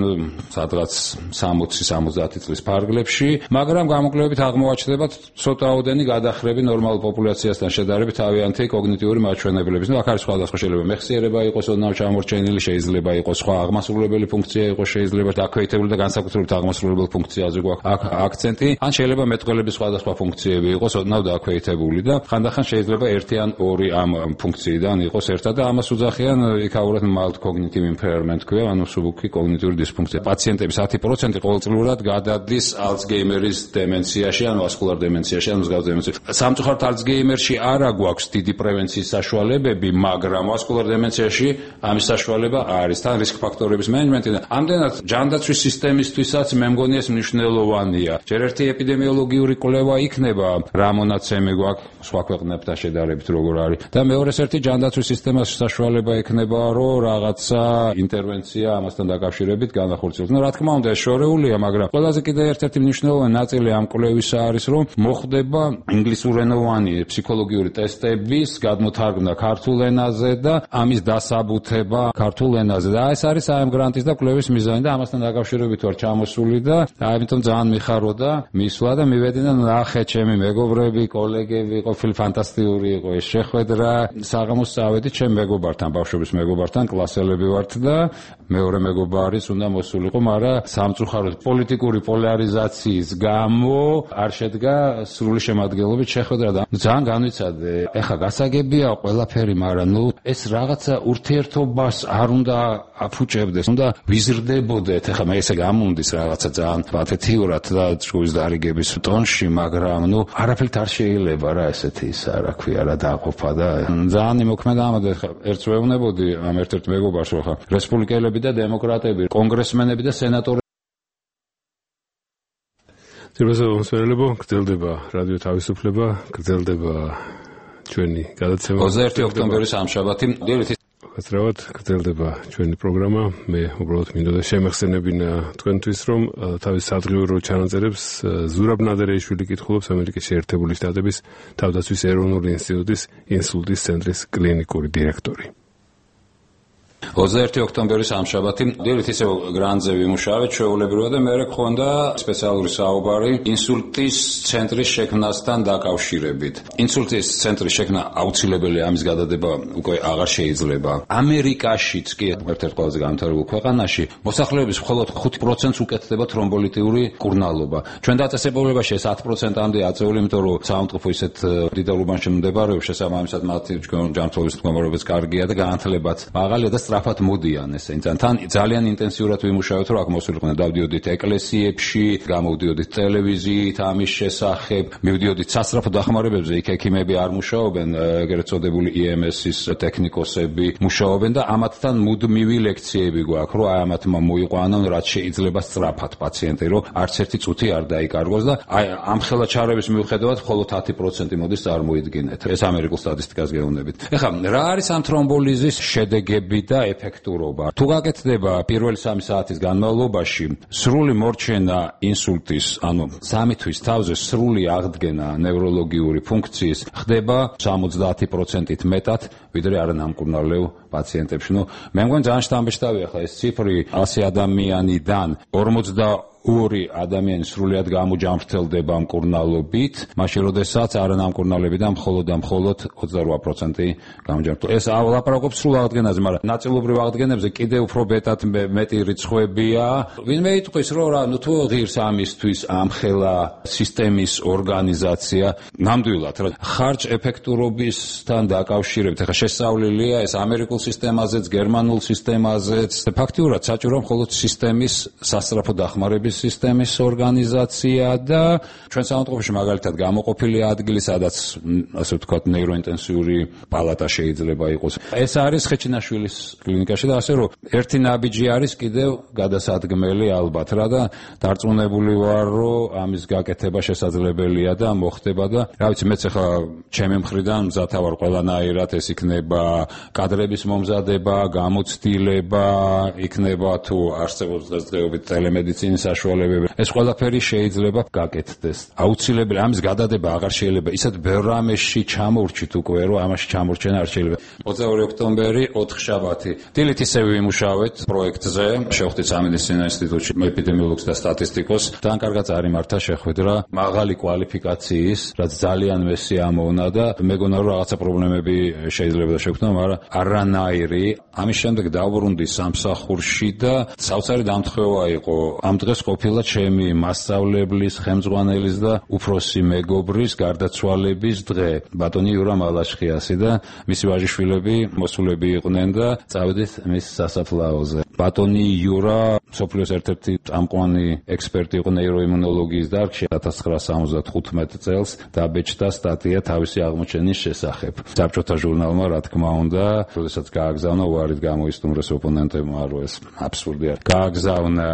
სადღაც 60-70 წლის ფარგლებში, მაგრამ გამოკვლევებით აღმოაჩნდება ცოტაოდენი გადახრები ნორმალურ პოპულაციასთან შედარებით თავიანთი კოგნიტიური მაჩვენებლების. აქ არის სხვადასხვა, შეიძლება მეხსიერება იყოს ოდნავ ჩამორჩენილი, შეიძლება იყოს სხვა აღმასრულებელი ფუნქცია იყოს, შეიძლება დაქვეითებული და განსაკუთრებით აღმასრულებელი ფუნქციაზე გვაქვს აქცენტი, ან შეიძლება მეტყველების სხვადასხვა ფუნქციები იყოს ოდნავ დაქვეითებული და ხანდახან შეიძლება ერთი ან ორი ამ ფუნქციიდან იყოს ერთად და ამას უძახიან იქაურად mild cognitive impairment ქვია, ანუ მსუბუქი კოგნიტიური დისფუნქცია. პაციენტების 10% ყოველწლიურად გადადის ალცგეიმერის დემენციაში, ანუ ვასკულარ დემენციაში, ანუ მსგავს დემენციაში. სამწუხაროდ ალცგეიმერში არა გვაქვს დიდი პრევენციის საშუალებები, მაგრამ ვასკულარ დემენციაში ამის საშუალება არის. თან რისკ ფაქტორების მენეჯმენტი და ამდენად ჯანდაცვის სისტემისთვისაც მე მგონი ეს მნიშვნელოვანია. ჯერ ერთი ეპიდემიოლოგიური კვლევა იქნება, რა მონაცემი გვაქვს სხვა ქვეყნებთან შედარებით როგორ არის. და მეორეს ერთი ჯანდაცვის სისტემას საშუალება ექნება, რომ რაღაცა ინტერვენცია ამასთან დაკავშირებით განახორციელოს. რა თქმა უნდა, ეს შორეულია, მაგრამ ყველაზე კიდევ ერთ-ერთი მნიშვნელოვანი ნაწილი ამ კვლევისა არის, რომ მოხდება ინგლისურენოვანი ფსიქოლოგიური ტესტების გადმოთარგმნა ქართულ ენაზე და ამის დასაბუთება ქართულ ენაზე. და ეს არის ამ გრანტის და კვლევის მიზანი და ამასთან დაკავშირებით ვარ ჩამოსული და ამიტომ ძალიან მიხაროდა მისვლა და მივედი და ნახე ჩემი მეგობრები, კოლეგები, ყოფილი ფანტასტიკური იყო ეს შეხვედრა. საღამოს წავედი ჩემ მეგობართან, ბავშვობის მეგობართან, კლასელები ვართ და მეორე მეგობარის უნდა მოსულიყო, მაგრამ სამწუხაროდ პოლიტიკური პოლარიზაციის გამო არ შედგა სრული შემადგენლობით შეხვედრა და ძალიან განვიცადე. ეხა გასაგებია ყველაფერი, მაგრამ ეს რაღაცა ურთიერთობას არ უნდა აფუჭებდეს, უნდა ვიზრდებოდეთ. ეხა მე ესე გამუნდის რაღაცა ძალიან პათეთიურად და ჭკუის დარიგების ტონში, მაგრამ არაფერით არ შეიძლება რა ესეთი ისა რა ქვია რა დააყოფა და ძალიან იმოქმედა ამაზე. ერთს ვეუბნებოდი ამ ერთ-ერთ მეგობარს, რომ ხა რესპუბლიკელები და დემოკრატები, კონგრესმენები და სენატორები ძირფასებო გრძელდება რადიო თავისუფლება, გრძელდება ჩვენი გადაცემა 21 ოქტომბერი სამშაბათი. გასწრებთ, გრძელდება ჩვენი პროგრამა. მე უბრალოდ მინდოდა შემეხსენებინა თქვენთვის, რომ თავის სადღიურო ჩანაწერებს ზურაბ ნადერეიშვილი კითხულობს ამერიკის შეერთებული შტატების თავდაცვის ეროვნული ინსტიტუტის ინსულტის ცენტრის კლინიკური დირექტორი. 21 ოქტომბერი სამშაბათი დილით ისევ გრანდზე ვიმუშავეთ ჩვეულებრივად და მე გქონდა სპეციალური საუბარი ინსულტის ცენტრის შექმნასთან დაკავშირებით. ინსულტის ცენტრის შექმნა აუცილებელია, ამის გადადება უკვე აღარ შეიძლება. ამერიკაშიც კი ერთ-ერთ ყველაზე განვითარებულ ქვეყანაში მოსახლეობის მხოლოდ 5%-ს უკეთდება თრომბოლიტიური კურნალობა. ჩვენ დაწესებულებაში ეს 10%-მდე აწეული, იმიტომ რომ საავადმყოფო ისეთ დიდ უბანში მდებარეობს, შესაბამისად მათი ჯანმრთელობის მდგომარეობაც კარგია და განათლებაც მაღალია და სწრაფად მოდიან ესე. თან ძალიან ინტენსიურად ვიმუშავეთ, რომ აქ მოსულიყვნენ, დავდიოდით ეკლესიებში, გამოვდიოდით ტელევიზიით ამის შესახებ, მივდიოდით სასწრაფო დახმარებებზე, იქ ექიმები არ მუშაობენ, ეგრეთ წოდებული EMS-ის ტექნიკოსები მუშაობენ და ამათთან მუდმივი ლექციები გვაქვს, რომ აი ამათმა მოიყვანონ, რაც შეიძლება სწრაფად პაციენტი, რომ არც ერთი წუთი არ დაიკარგოს და აი ამ ხელაჩარების მიუხედავად მხოლოდ 10% მოდის წარმოიდგინეთ. ეს ამერიკულ სტატისტიკას გეუბნებით. ეხლა რა არის ამ თრომბოლიზის შედეგები და ეფექტურობა? თუ გაკეთდება პირველი 3 საათის განმავლობაში სრული მორჩენა ინსულტის, ანუ 3 თვის თავზე სრული აღდგენა ნევროლოგიური ფუნქციის ხდება 70%-ით მეტად, ვიდრე არანამკურნალო პაციენტებში. მე მგონი ძალიან შთამბეჭდავია ხა ეს ციფრი 100 ადამიანიდან 42 ადამიანი სრულიად გამოჯამრთელდება მკურნალობით, მაშინ როდესაც არანამკურნალებიდან მხოლოდ 28% გამოჯამრთელდება. ეს ლაპარაკობს სრულ აღდგენაზე, მაგრამ ნაწილობრივ აღდგენებზე კიდევ უფრო მეტი რიცხვებია. ვინმე იტყვის, რომ რა, თუ ღირს ამისთვის ამხელა სისტემის ორგანიზაცია, ნამდვილად რა, ხარჯ ეფექტურობისთან დაკავშირებით, ახლა შესწავლილია ეს ამერიკულ სისტემაზეც, გერმანულ სისტემაზეც. ფაქტიურად საჭირო მხოლოდ სისტემის სასწრაფო დახმარების სისტემის ორგანიზაცია და ჩვენ საავადმყოფოში მაგალითად გამოყოფილი ადგილი, სადაც ასე ვთქვათ ნეიროინტენსიური პალატა შეიძლება იყოს. ეს არის ხეჩინაშვილის კლინიკაში და ასე რომ ერთი ნაბიჯი არის კიდევ გადასადგმელი ალბათ რა და დარწმუნებული ვარ, რომ ამის გაკეთება შესაძლებელია და მოხდება და რა ვიცი, მეც ახლა ჩემი მხრიდან მზათა ვარ ყველანაირად, ეს იქნება კადრების მომზადება, გამოცდილება, იქნება თუ არსებობს დღესდღეობით ტელემედიცინის ეს ყველაფერი შეიძლება გაკეთდეს. აუცილებელი ამის გადადება აღარ შეიძლება. ისეთ ბევრ რამეში ჩამოვრჩით უკვე, რომ ამაში ჩამორჩენა არ შეიძლება. 22 ოქტომბერი 4 შაბათი. დილით ისევ ვიმუშავეთ პროექტზე, შევხვდით სამედიცინო ინსტიტუტში ეპიდემიოლოგს და სტატისტიკოს. თან კარგად წარიმართა შეხვედრა მაღალი კვალიფიკაციის, რაც ძალიან მესი ამოვნა და მეგონა რომ რაღაცა პრობლემები შეიძლება შეგვქნა, მაგრამ არანაირი. ამის შემდეგ დავბრუნდი სამსახურში და საოცარი დამთხევა იყო. ამ დღეს ყოფილა ჩემი მასწავლებლის, ხელმძღვანელის და უფროსი მეგობრის გარდაცვალების დღე, ბატონი იურა მალაშხიასი და მისი ვაჟიშვილები მოსულები იყვნენ და წავედით მის სასაფლაოზე. ბატონი იურა სოფლიოს ერთ-ერთი წამყვანი ექსპერტი იყო ნეიროიმუნოლოგიის დარგში. 1975 წელს დაბეჭდა სტატია თავისი აღმოჩენის შესახებ. საბჭოთა ჟურნალმა, რა თქმა უნდა, როდესაც გააგზავნა, უარით გამოისტუმრეს ოპონენტებმა, რომ ეს აბსურდია. გააგზავნა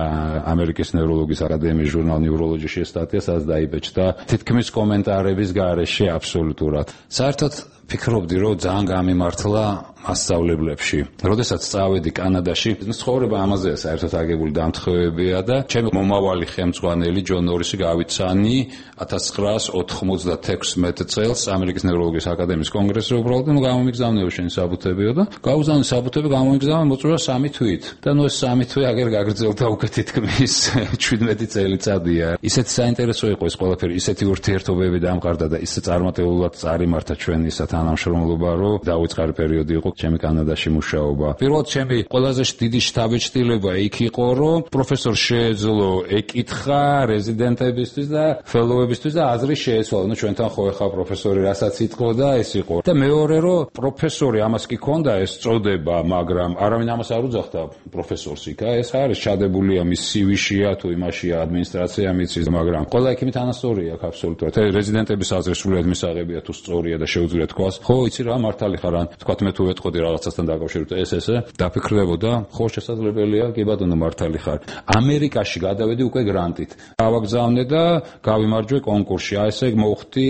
ამერიკის ნევროლოგიის აკადემიის ჟურნალ ნევროლოჯიში სტატია, სადაც დაიბეჭდა თითქმის კომენტარების გარეშე აბსოლუტურად. საერთოდ ფიქრობდი, რომ ძალიან გამიმართლა მასწავლებლებში. როდესაც წავედი კანადაში, ცხოვრება ამაზეა საერთოდ აგებული დამთხევებია და ჩემი მომავალი ხელმძღვანელი ჯონ ნორისი გავიცანი 1996 წელს ამერიკის ნევროლოგიის აკადემიის კონგრესზე უბრალოდ გამომიგზავნეო შენი საბუთებიო და გავუზავნე საბუთები, გამომიგზავნე, მოწვია 3 თვით. და ეს 3 თვე აგერ გაგრძელდა უკვე თითქმის 17 წელიწადია. ისეთი საინტერესო იყო ეს ყველაფერი, ისეთი ურთიერთობები დამყარდა და ისე წარმატებულად წარიმართა ჩვენი თანამშრომლობა, რომ დაუწყარი პერიოდი იყო ჩემი კანადაში მუშაობა. პირველად ჩემი ყველაზე დიდი შთაბეჭდილება იქ იყო, რომ პროფესორ შეეძლო ეკითხა რეზიდენტებისთვის და ფელოუებისთვის და აზრი შეეცვალა. ჩვენთან ხო ეხა პროფესორი რასაც იტყო და ეს იყო. და მეორე, რომ პროფესორი ამას კი ქონდა ეს წოდება, მაგრამ არავინ ამას არ უძახდა პროფესორს იქ. ეს არის ჩადებულია მის CV-შია თუ იმაშია ადმინისტრაცია მიცის, მაგრამ ყველა ექიმი თანასწორია აქ აბსოლუტურად. რეზიდენტების აზრი სრულიად მისაღებია თუ სწორია და შეუძლია თქვას. ხო, იცი რა, მართალი ხარ, ან თქვათ მე თუ მოვეთყოდი რაღაცასთან დაკავშირებით ესე დაფიქრდებოდა ხო შესაძლებელია კი ბატონო მართალი ხარ ამერიკაში გადავედი უკვე გრანტით გავაგზავნე და გავიმარჯვე კონკურსში აი ესე მოვხდი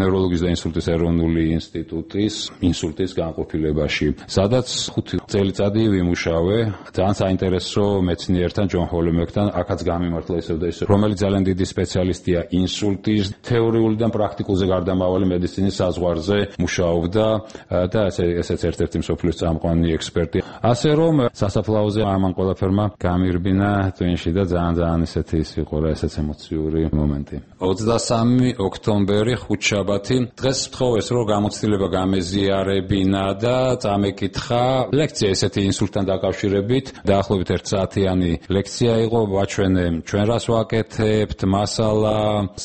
ნევროლოგიის და ინსულტის ეროვნული ინსტიტუტის ინსულტის განყოფილებაში სადაც 5 წელიწადი ვიმუშავე ძალიან საინტერესო მეცნიერთან ჯონ ჰოლმეკთან აქაც გამიმართლა ისევ და ისევ რომელიც ძალიან დიდი სპეციალისტია ინსულტის თეორიულიდან პრაქტიკულზე გარდამავალი მედიცინის საზღვარზე მუშაობდა და ესეც ერთ-ერთი მსოფლიოს წამყვანი ექსპერტი ასე რომ სასაფლაოზე ამან ყველაფერმა გამირბინა twin-ში და ძალიან ისეთი ის იყო რა ესეც ემოციური მომენტი 23 ოქტომბერი ხუთშაბათი დღეს ვთხოვეს რომ გამოცდილება გამეზიარებინა და წამეკითხა ლექცია ესეთი ინსულტთან დაკავშირებით დაახლოებით 1 საათიანი ლექცია იყო ვაჩვენე ჩვენ რას ვაკეთებთ მასალა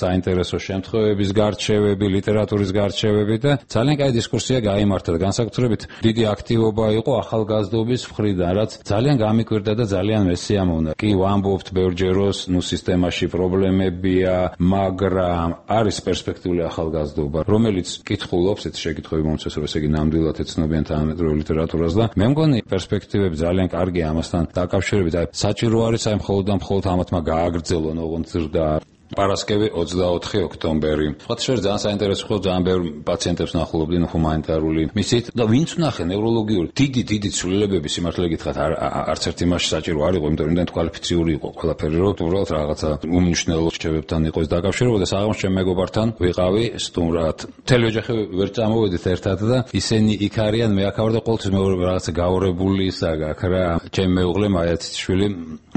საინტერესო შემთხვევების გარჩევები ლიტერატურის გარჩევები და ძალიან კაი დისკუსია გაიმართა და განსაკუთრებით დიდი აქტივობა იყო ახალგაზრდობის მხრიდან რაც ძალიან გამიკვირდა და ძალიან მესიამოვნა კი ვამბობთ ბევრჯეროს სისტემაში პრობლემებია მაგრამ არის პერსპექტიული ახალგაზრდობა რომელიც კითხულობს ეს შეკითხვები მომწეს რომ ესე იგი ნამდვილად ეცნობიან თანამედროვე ლიტერატურას და მე მგონი პერსპექტივები ძალიან კარგია ამასთან დაკავშირებით აი საჭირო არის აი მხოლოდ ამათმა გააგრძელონ ოღონდ ზრდა პარასკევი 24 ოქტომბერი. Სხვა შეიძლება ძალიან საინტერესო ხო ძალიან ბევრ პაციენტებს ნახულობდნენ ჰუმანიტარული მისით და ვინც ნახე ნევროლოგიური დიდი ცვლილებები სიმართლე გითხრათ არც ერთ იმაში საჭირო არ იყო, იმიტომ რომ იმდენ კვალიფიციური იყო ყველაფერი, რომ უბრალოდ რაღაცა უმნიშვნელო რჩევებთან იყო ეს დაკავშირება და საღამოს ჩემ მეგობართან ვიყავი სტუმრად. მთელი ოჯახი ვერ წამოვედით ერთად და ისინი იქ არიან, მე აქ ვარ და ყოველთვის მე რაღაცა გაორებული ისაგ რა. ჩემ მეუღლე მაიათიშვილი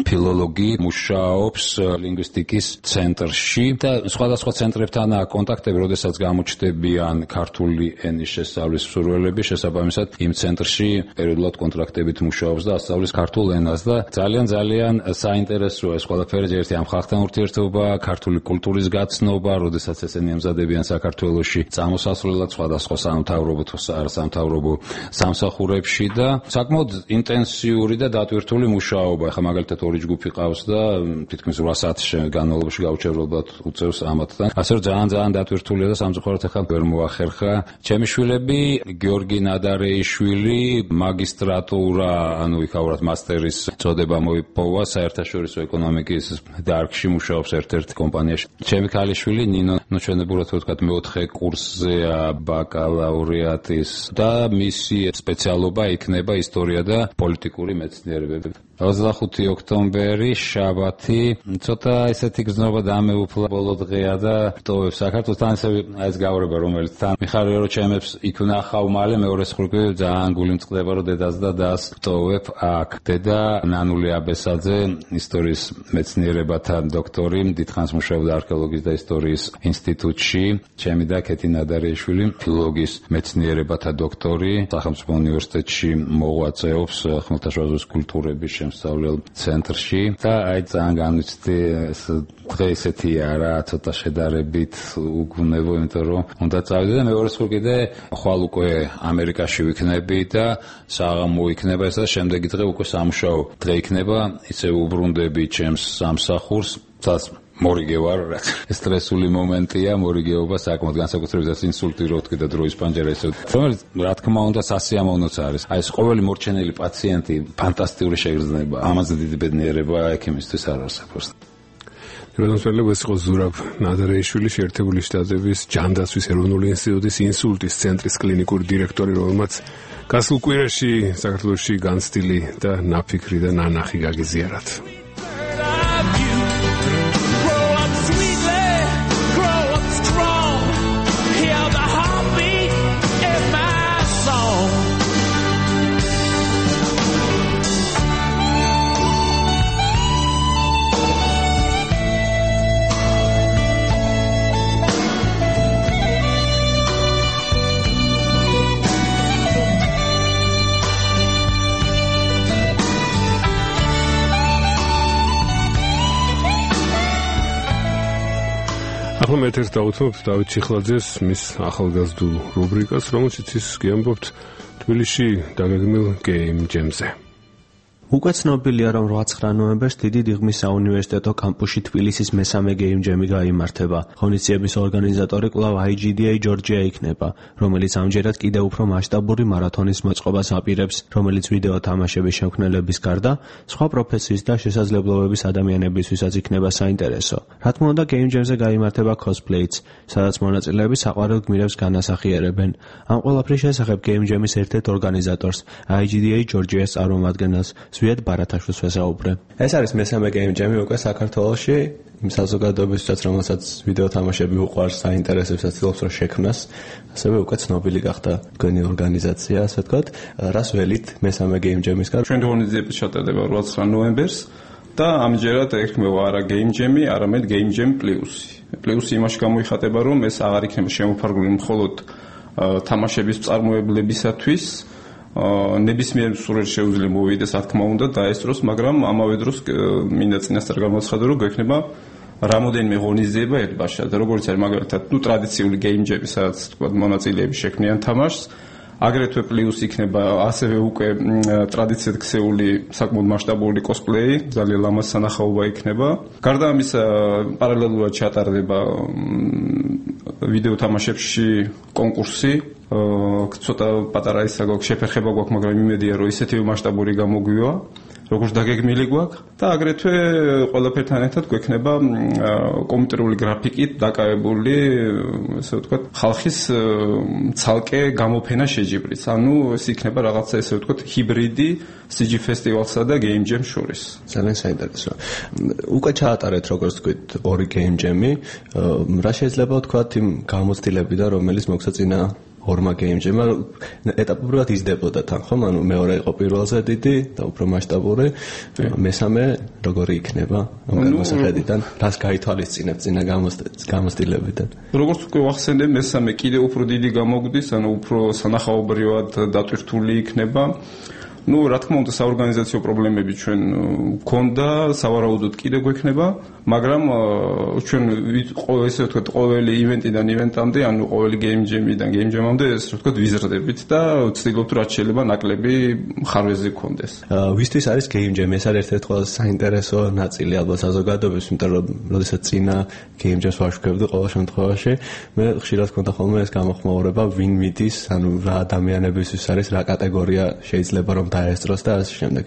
ფილოლოგი მუშაობს ლინგვისტიკის ცენტრში და სხვადასხვა ცენტრებთან კონტაქტები, როდესაც გამოჩნდებიან ქართული ენის შესწავლის მსურველები, შესაბამისად იმ ცენტრში პერიოდულად კონტრაქტებით მუშაობს და ასწავლის ქართულ ენას და ძალიან საინტერესოა ეს ყველაფერი ერთი ამ ხალხთან ურთიერთობა, ქართული კულტურის გაცნობა, როდესაც ესენი ემზადებიან საქართველოში წამოსასვლელად სხვადასხვა სამთავრობო თუ არასამთავრობო სამსახურებში და საკმაოდ ინტენსიური და დატვირთული მუშაობა. ახლა მაგალითად ორი ჯგუფი ყავს და თითქმის 8 საათის განმავლობაში გაუჩერებლად უწევს ამათთან. ასე რომ ძალიან დატვირთულია და სამწუხაროდ ახლა ვერ მოახერხა. ჩემი შვილები გიორგი ნადარეიშვილი მაგისტრატურა, ანუ იქაურად მასტერის წოდება მოიპოვა საერთაშორისო ეკონომიკის დარგში მუშაობს ერთ-ერთ კომპანიაში. ჩემი ქალიშვილი ნინო ჩვენებურად ვთქვათ მეოთხე კურსზეა ბაკალავრიატის და მისი სპეციალობა იქნება ისტორია და პოლიტიკური მეცნიერებები. 25 ოქტომბერი შაბათი ცოტა ესეთი გზნობა დამეუფლა ბოლო დღეა და ვტოვებ საქართველოსთან ესე ეს გავრება რომელიც თან მიხარია რომ ჩემებს იქ ვნახავ მალე მეორე სხურკი ძალიან გული მწყდება რომ დედას და დას ვტოვებ აქ დედა ნანული აბესაძე ისტორიის მეცნიერებათა დოქტორი დიდხანს მუშაობდა არქეოლოგიის და ისტორიის ინსტიტუტში ჩემი და კეთი ნადარეიშვილი ფილოლოგიის მეცნიერებათა დოქტორი სახელმწიფო უნივერსიტეტში მოღვაწეობს ხმელთაშუაზღვის კულტურების სწავლელ ცენტრში და აი ძალიან განვიცდი ეს დღე ესეთია რა ცოტა შედარებით უგუნებო იმიტომ რომ უნდა წავიდე და მეორე სულ კიდე ხვალ უკვე ამერიკაში ვიქნები და საღამო იქნება ეს და შემდეგი დღე უკვე სამუშაო დღე იქნება ისე უბრუნდები ჩემს სამსახურს თავს მორიგე ვარ რა სტრესული მომენტია მორიგეობა საკმაოდ განსაკუთრებით ინსულტი რო თქვი და დროის პანჯერა ესე რომელიც რა თქმა უნდა სასიამოვნოც არის აი ეს ყოველი მორჩენილი პაციენტი ფანტასტიკური შეგრძნება ამაზე დიდი ბედნიერება ექიმისთვის არ არსებობს როდოსველებს ეს იყო ზურაბ ნადარეიშვილი შეერთებული შტატების ჯანდაცვის ეროვნული ინსტიტუტის ინსულტის ცენტრის კლინიკური დირექტორი რომელმაც გასულ კვირაში საქართველოში განცდილი და ნაფიქრი და ნანახი გაგიზიარათ ახლა მე ერთ დავუთმობთ დავით ჩიხლაძეს მის ახალგაზრდულ რუბრიკას, რომელშიც ის გიამბობთ თბილისში დაგეგმილ გეიმ ჯემზე. უკვე ცნობილია, რომ 8-9 ნოემბერს დიდი დიღმის საუნივერსიტეტო კამპუსში თბილისის მესამე გეიმ ჯემი გაიმართება. ღონისძიების ორგანიზატორი კვლავ IGDA Georgia იქნება, რომელიც ამჯერად კიდევ უფრო მასშტაბური მარათონის მოწყობას აპირებს, რომელიც ვიდეო თამაშების შემქმნელების გარდა სხვა პროფესიის და შესაძლებლობების ადამიანებისთვისაც იქნება საინტერესო. რა თქმა უნდა, გეიმ ჯემზე გაიმართება cosplay-ც, სადაც მონაწილეები საყვარელ გმირებს განასახიერებენ. ამ ყველაფრის შესახებ გეიმ ჯემის ერთ-ერთ ორგანიზატორს, IGDA Georgia-ს წარმომადგენელს ზვიად ბარათაშვილს ვესაუბრე. ეს არის მესამე გეიმ ჯემი უკვე საქართველოში, იმ საზოგადოებისთვისაც, რომელსაც ვიდეო თამაშები უყვარს, საინტერესებსაც ცდილობს რომ შექმნას, ასევე უკვე ცნობილი გახდა თქვენი ორგანიზაცია, ასე ვთქვათ. რას ველით მესამე გეიმ ჯემისგან? ჩვენ ღონისძიების ჩატარდება 8-9 ნოემბერს და ამჯერად ერქმევა არა გეიმ ჯემი, არამედ გეიმ ჯემ პლუსი. პლუსი იმაში გამოიხატება, რომ ეს აღარ იქნება შემოფარგლული მხოლოდ თამაშების მწარმოებლებისათვის, ნებისმიერ მსურველს შეუძლია მოვიდეს, რა თქმა უნდა, დაესწროს, მაგრამ ამავე დროს მინდა წინასწარ გამოცხადო, რომ გვექნება რამოდენიმე ღონისძიება ერთბაშად, როგორც არის მაგალითად, ტრადიციული გეიმ ჯემი, სადაც თქვა მონაწილეები შექმნიან თამაშს, აგრეთვე პლუს იქნება ასევე უკვე ტრადიციად ქცეული საკმაოდ მასშტაბური კოსპლეი, ძალიან ლამაზ სანახაობა იქნება. გარდა ამისა, პარალელურად ჩატარდება ვიდეო თამაშებში კონკურსი, ცოტა პატარა ისა გვაქვს შეფერხება გვაქვს, მაგრამ იმედია რომ ისეთივე მასშტაბური გამოგვივა, როგორც დაგეგმილი გვაქვს და აგრეთვე ყველაფერთან ერთად გვექნება კომპიუტერული გრაფიკით დაკავებული, ესე ვთქვათ, ხალხის ცალკე გამოფენა შეჯიბრიც. ანუ ეს იქნება რაღაცა, ესე ვთქვათ, ჰიბრიდი CG ფესტივალსა და გეიმ ჯემს შორის. ძალიან საინტერესო. უკვე ჩაატარეთ, როგორც ვთქვით, ორი გეიმ ჯემი. რა შეიძლება ვთქვათ იმ გამოცდილებიდან, რომელიც მოგსაწინა ორმა გეიმ ჯემმა ეტაპობრივად იზრდებოდა თან, ხომ? ანუ მეორე იყო პირველზე დიდი და უფრო მასშტაბური, მესამე როგორი იქნება ამ მოსახედიდან? რას გაითვალისწინებთ წინა გამოცდილებიდან? როგორც უკვე ვახსენე, მესამე კიდევ უფრო დიდი გამოგვდის, ანუ უფრო სანახაობრივად დატვირთული იქნება. Ну, რა თქმა უნდა, საორგანიზაციო პრობლემები ჩვენ გქონდა, სავარაუდოდ კიდევ გვექნება, მაგრამ ჩვენ ესე ვთქვათ, ყოველი ივენტიდან ივენტამდე, ანუ ყოველი გეიმ ჯემიდან გეიმ ჯემამდე, ესე ვთქვათ, ვიზრდებით და ვცდილობთ, რაც შეიძლება ნაკლები ხარვეზი გქონდეს. ვისთვის არის გეიმ ჯემი? ეს არის ერთ-ერთი ყველაზე საინტერესო ნაწილი ალბათ საზოგადოების, იმიტომ რომ როდესაც წინა გეიმ ჯემს ვაშუქებდი ყოველ შემთხვევაში, მე ხშირად გქონდა ხოლმე ეს გამოხმაურება, ვინ მიდის, ანუ რა ადამიანებისთვის არის, რა კატეგორია შეიძლება რომ დაესწროს და ასე შემდეგ.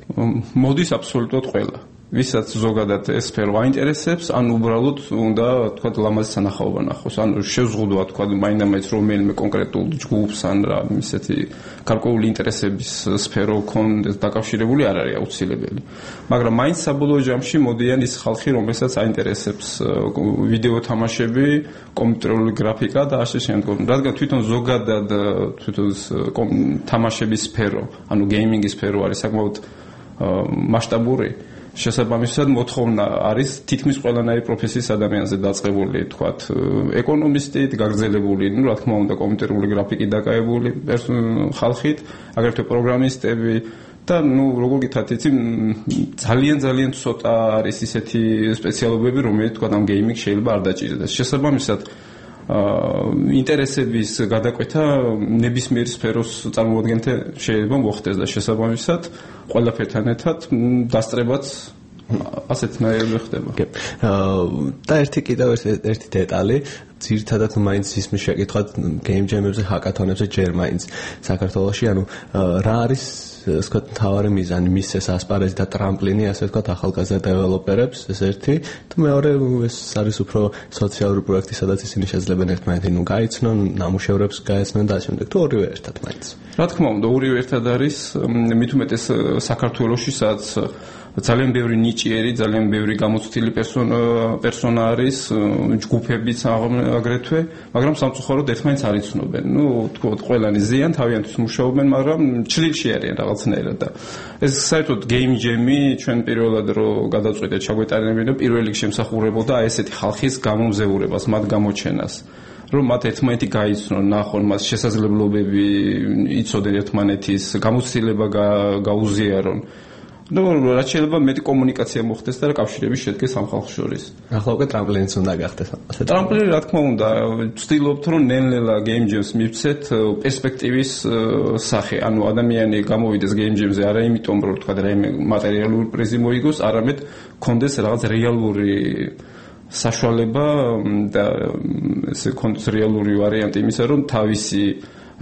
მოდის აბსოლუტურად ყველა. ვისაც ზოგადად ეს სფერო აინტერესებს, ან უბრალოდ უნდა თქვათ ლამაზი სანახაობა ნახოს, ან შევზღუდვა თქვათ მაინდა-მაინც რომელიმე კონკრეტულ ჯგუფს, ან რა ისეთი გარკვეული ინტერესების სფერო კონდეს დაკავშირებული არ არის აუცილებელი. მაგრამ მაინც საბოლოო ჯამში მოდიან ის ხალხი, რომელსაც აინტერესებს ვიდეო თამაშები, კომპიუტერული გრაფიკა და ასე შემდეგ. რადგან თვითონ ზოგადად თამაშების სფერო, ანუ გეიმინგის სფერო არის საკმაოდ მასშტაბური, შესაბამისად მოთხოვნა არის თითქმის ყველანაირი პროფესიის ადამიანზე დაწყებული, თქვათ, ეკონომისტით, გაგრძელებული, ну, რა თქმა უნდა, კომპიუტერული გრაფიკით დაკავებული ხალხით, აგრეთვე პროგრამისტები და, ну, როგორ გითხრათ, იცი, ძალიან ცოტა არის ისეთი სპეციალობები, რომელიც, თქვათ, ამ გეიმინგ შეიძლება არ დაჭირდეს. შესაბამისად, ინტერესების გადაკვეთა ნებისმიერ სფეროს წარმოადგენელთა შეიძლება მოხდეს და შესაბამისად ყველაფერთან ერთად დასწრებაც ასეთნაირად ხდება. და კიდევ ერთი დეტალი, ძირითადად მაინც ისმის შეკითხვათ გეიმ ჯემებზე, ჰაკათონებზე ჯერ მაინც საქართველოში, ანუ რა არის ასე ვთქვათ, თავარი მიზანი, მისცეს ასპარეზი და ტრამპლინი, ასე ვთქვათ, ახალგაზრდა დეველოპერებს, ეს ერთი, და მეორე ეს არის უფრო სოციალური პროექტი, სადაც ისინი შეძლებენ ერთმანეთი გაიცნონ, ნამუშევრებს გაეცნონ და ასე შემდეგ, თუ ორივე ერთად მაინც. რა თქმა უნდა, ორივე ერთად არის, მით უმეტეს საქართველოში, სადაც ძალიან ბევრი ნიჭიერი, ძალიან ბევრი გამოცდილი პერსონა არის, ჯგუფებიც აგრეთვე, მაგრამ სამწუხაროდ ერთმანეთს არ იცნობენ. Ну, თქო, ყველანი ზიან, თავიანთვის მუშაობენ, მაგრამ ჩრდილში არიან რაღაცნაირად და ეს საერთოდ გეიმ ჯემი ჩვენ პირველად რო გადაწყვიტეთ ჩაგვეტარებინა, პირველ რიგში ემსახურებოდა ესეთი ხალხის გამომზეურებას, მათ გამოჩენას. რომ მათ ერთმანეთი გაიცნონ, ნახონ მას შესაძლებლობები, იცოდენ ერთმანეთის, გამოცდილება გაუზიარონ. რაც შეიძლება მეტი კომუნიკაცია მოხდეს და კავშირები შედგეს ამ ხალხს შორის. ახლა უკვე ტრამპლინიც უნდა გახდეს. ტრამპლინი რა თქმა უნდა, ვცდილობთ რომ ნელ-ნელა game jams მივცეთ პერსპექტივის სახე. ანუ ადამიანი გამოვიდეს game jams-ზე არა იმიტომ რომ თქვა რაიმე მატერიალური პრიზი მოიგოს, არამედ კონდეს რაღაც რეალური საშუალება და ესე კონდეს რეალური ვარიანტი იმისა რომ თავისი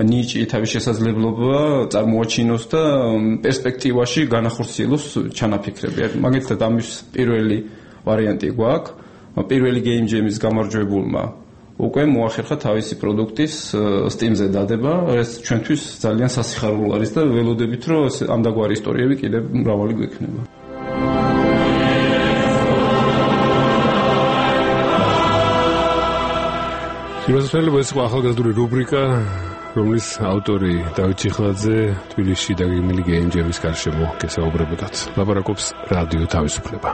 ნიჭი, თავის შესაძლებლობა წარმოაჩინოს და პერსპექტივაში განახორციელოს ჩანაფიქრები. მაგალითად ამის პირველი ვარიანტი გვაქვს. პირველი game jam-ის გამარჯვებულმა უკვე მოახერხა თავისი პროდუქტის Steam-ზე დადება, ეს ჩვენთვის ძალიან სასიხარულო არის და ველოდებით რომ ამდაგვარი ისტორიები კიდევ მრავალი გვექნება. სიმართლე ეს ახალგაზრდული რუბრიკა, რომლის ავტორი დავით ჩიხლაძე თბილისში დაგეგმილი game jam-ის გარშემო გესაუბრებოდათ. ლაპარაკობს რადიო თავისუფლება.